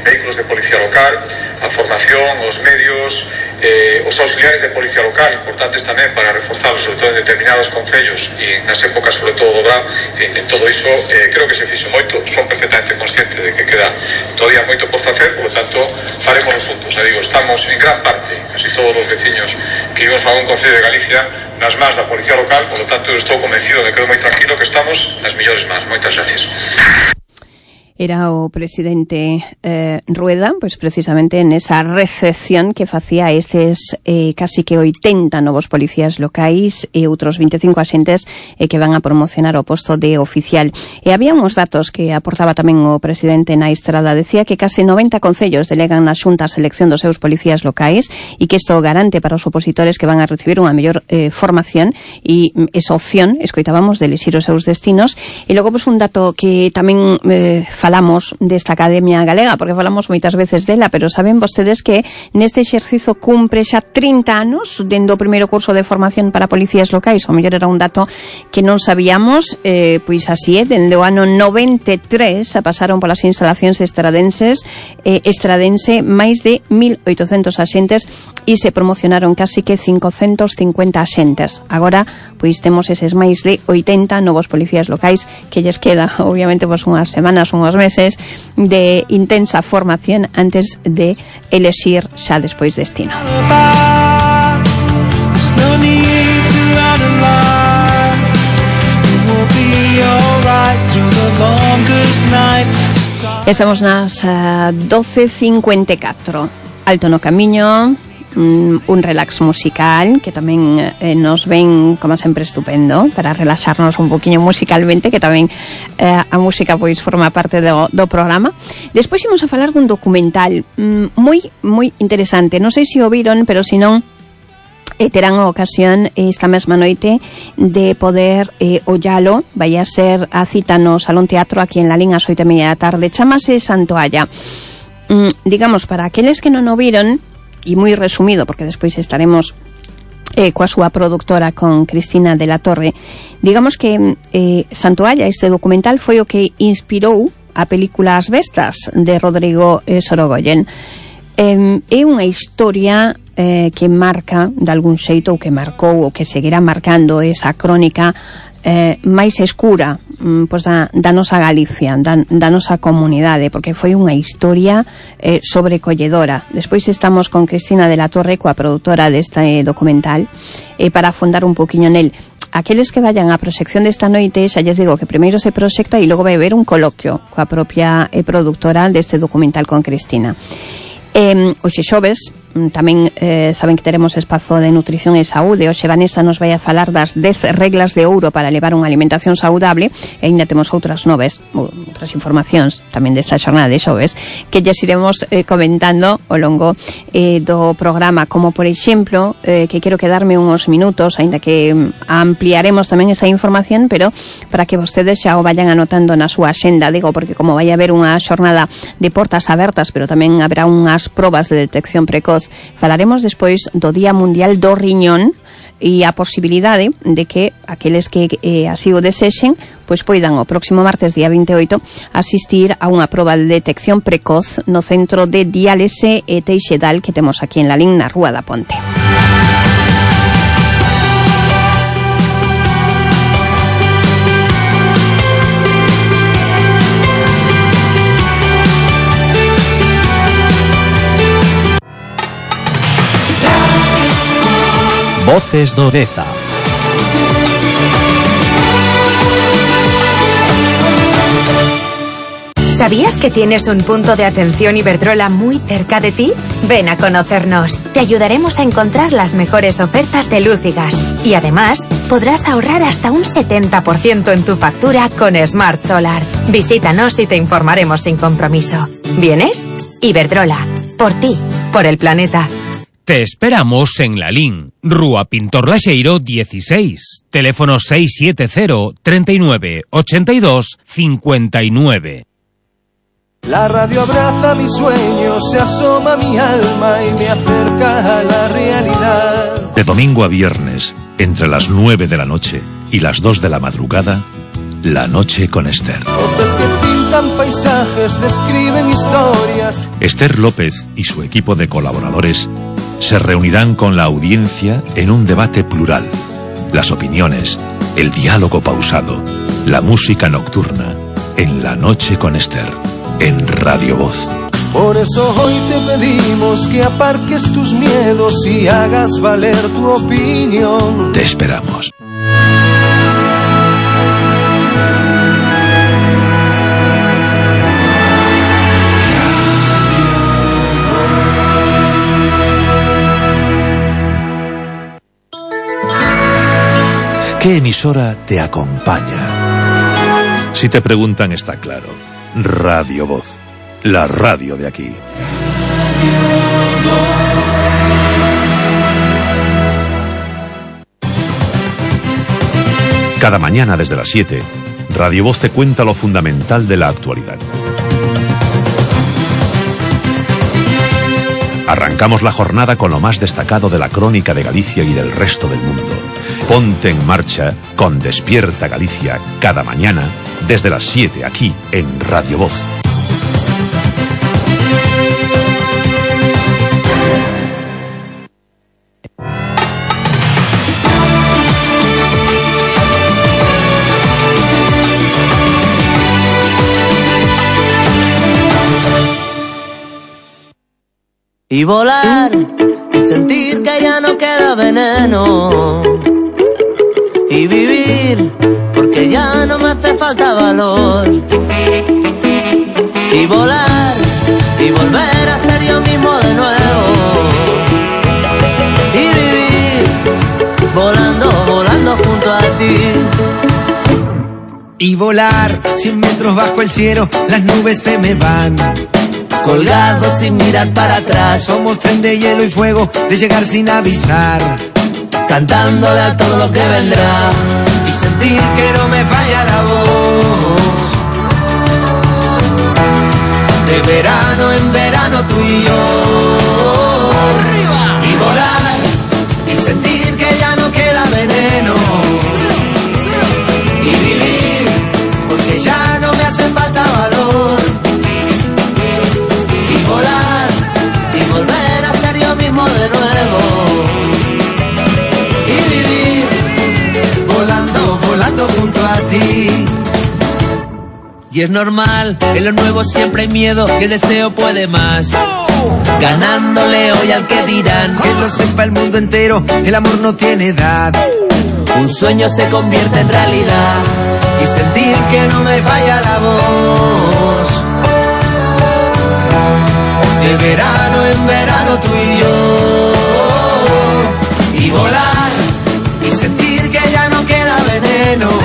vehículos de policía local, a formación, os medios, os auxiliares de policía local, importantes tamén para reforzarlos, sobre todo en determinados concellos e nas épocas sobre todo do verán. En todo iso creo que se fixo moito, son perfectamente consciente de que queda todavía moito por facer, por lo tanto faremos juntos. Digo, estamos en gran parte, casi todos os veciños que vivimos a un concello de Galicia, nas más da policía local, por lo tanto estou convencido de que quedo moi tranquilo que estamos nas millores más. Moitas gracias.
Era o presidente Rueda, pois precisamente nesa recepción que facía estes casi que 80 novos policías locais e outros 25 axentes que van a promocionar o posto de oficial. E había uns datos que aportaba tamén o presidente na estrada. Decía que case 90 concellos delegan na Xunta a selección dos seus policías locais e que isto garante para os opositores que van a recibir unha mellor formación e esa opción, escoitábamos, de elixir os seus destinos. E logo, pois, un dato que tamén falamos desta Academia Galega, porque falamos moitas veces dela, pero saben vostedes que neste exercizo cumpre xa 30 anos dende o primeiro curso de formación para policías locais. O mellor era un dato que non sabíamos, pois así é, dende o ano 93 pasaron polas instalacións estradense máis de 1.800 axentes e se promocionaron casi que 550 axentes. Agora, pois temos eses máis de 80 novos policías locais que lles queda, obviamente, pois unhas semanas, unhos meses de intensa formación antes de elexir xa despois destino. Estamos nas 12:54. Alto no camiño, un relax musical que tamén nos ven, como sempre, estupendo para relaxarnos un poquinho musicalmente, que tamén a música pois forma parte do programa. Despois imos a falar dun documental moi interesante. Non sei se o viron, pero se non, terán a ocasión esta mesma noite de poder ollalo. Vai a ser a cita no Salón Teatro aquí en Lalín ás 8:30 da tarde. Chámase Santoalla. Digamos, para aqueles que non o viron, e moi resumido, porque despois estaremos coa súa productora, con Cristina de la Torre, digamos que Santoalla, este documental, foi o que inspirou a película As Bestas, de Rodrigo Sorogoyen. É unha historia que marca de algún xeito, ou que marcou, ou que seguirá marcando esa crónica máis escura pois da nosa Galicia, da nosa comunidade, porque foi unha historia sobrecolledora. Despois estamos con Cristina de la Torre, coa produtora deste documental, para afondar un poquinho nel. Aqueles que vayan á proxección desta noite, xa lles digo que primeiro se proxecta e logo vai haber un coloquio coa propia productora deste documental con Cristina. Hoxe xoves tamén saben que teremos espazo de nutrición e saúde. Hoxe Vanessa nos vai a falar das 10 reglas de ouro para levar unha alimentación saudable, e ainda temos outras informacións tamén desta xornada de xoves que lles iremos comentando ao longo do programa, como por exemplo que quero quedarme uns minutos, ainda que ampliaremos tamén esa información, pero para que vostedes xa o vayan anotando na súa axenda, digo, porque como vai haber unha xornada de portas abertas, pero tamén haberá unhas probas de detección precoz. Falaremos despois do Día Mundial do Riñón e a posibilidade de que aqueles que así o desexen pois poidan o próximo martes, día 28, asistir a unha proba de detección precoz no Centro de Diálise e Teixedal que temos aquí en Lalín, na Rúa da Ponte.
Voces do Deza.
¿Sabías que tienes un punto de atención Iberdrola muy cerca de ti? Ven a conocernos. Te ayudaremos a encontrar las mejores ofertas de luz y gas. Y además, podrás ahorrar hasta un 70% en tu factura con Smart Solar. Visítanos y te informaremos sin compromiso. ¿Vienes? Iberdrola. Por ti. Por el planeta.
Te esperamos en Lalín, Rúa Pintor Laxeiro 16, teléfono 670 39 82 59.
La radio abraza mis sueños, se asoma a mi alma y me acerca a la realidad.
De domingo a viernes, entre las 9 de la noche y las 2 de la madrugada, La Noche con Esther.
Voces que pintan paisajes, describen historias.
Esther López y su equipo de colaboradores se reunirán con la audiencia en un debate plural. Las opiniones, el diálogo pausado, la música nocturna, en La Noche con Esther, en Radio Voz.
Por eso hoy te pedimos que aparques tus miedos y hagas valer tu opinión.
Te esperamos. ¿Qué emisora te acompaña? Si te preguntan, está claro. Radio Voz, la radio de aquí. Cada mañana desde las 7, Radio Voz te cuenta lo fundamental de la actualidad. Arrancamos la jornada con lo más destacado de la crónica de Galicia y del resto del mundo. Ponte en marcha con Despierta Galicia cada mañana desde las 7 aquí en Radio Voz.
Y volar y sentir que ya no queda veneno. Y vivir porque ya no me hace falta valor. Y volar y volver a ser yo mismo de nuevo.
Y volar 100 metros bajo el cielo, las nubes se me van.
Colgados sin mirar para atrás.
Somos tren de hielo y fuego, de llegar sin avisar.
Cantándole a todo lo que vendrá.
Y sentir que no me falla la voz. De verano en verano tú y yo.
¡Arriba!
Y volar y sentir que ya no queda veneno. Y vivir porque ya no me hace falta valor.
Y volar y volver a ser yo mismo de nuevo.
Y vivir volando, volando junto a ti.
Y es normal, en lo nuevo siempre hay miedo y el deseo puede más. Ganándole hoy al que dirán.
Que lo sepa el mundo entero, el amor no tiene edad.
Un sueño se convierte en realidad.
Y sentir que no me falla la voz. De verano en verano tú y yo. Y volar y sentir que ya no queda veneno.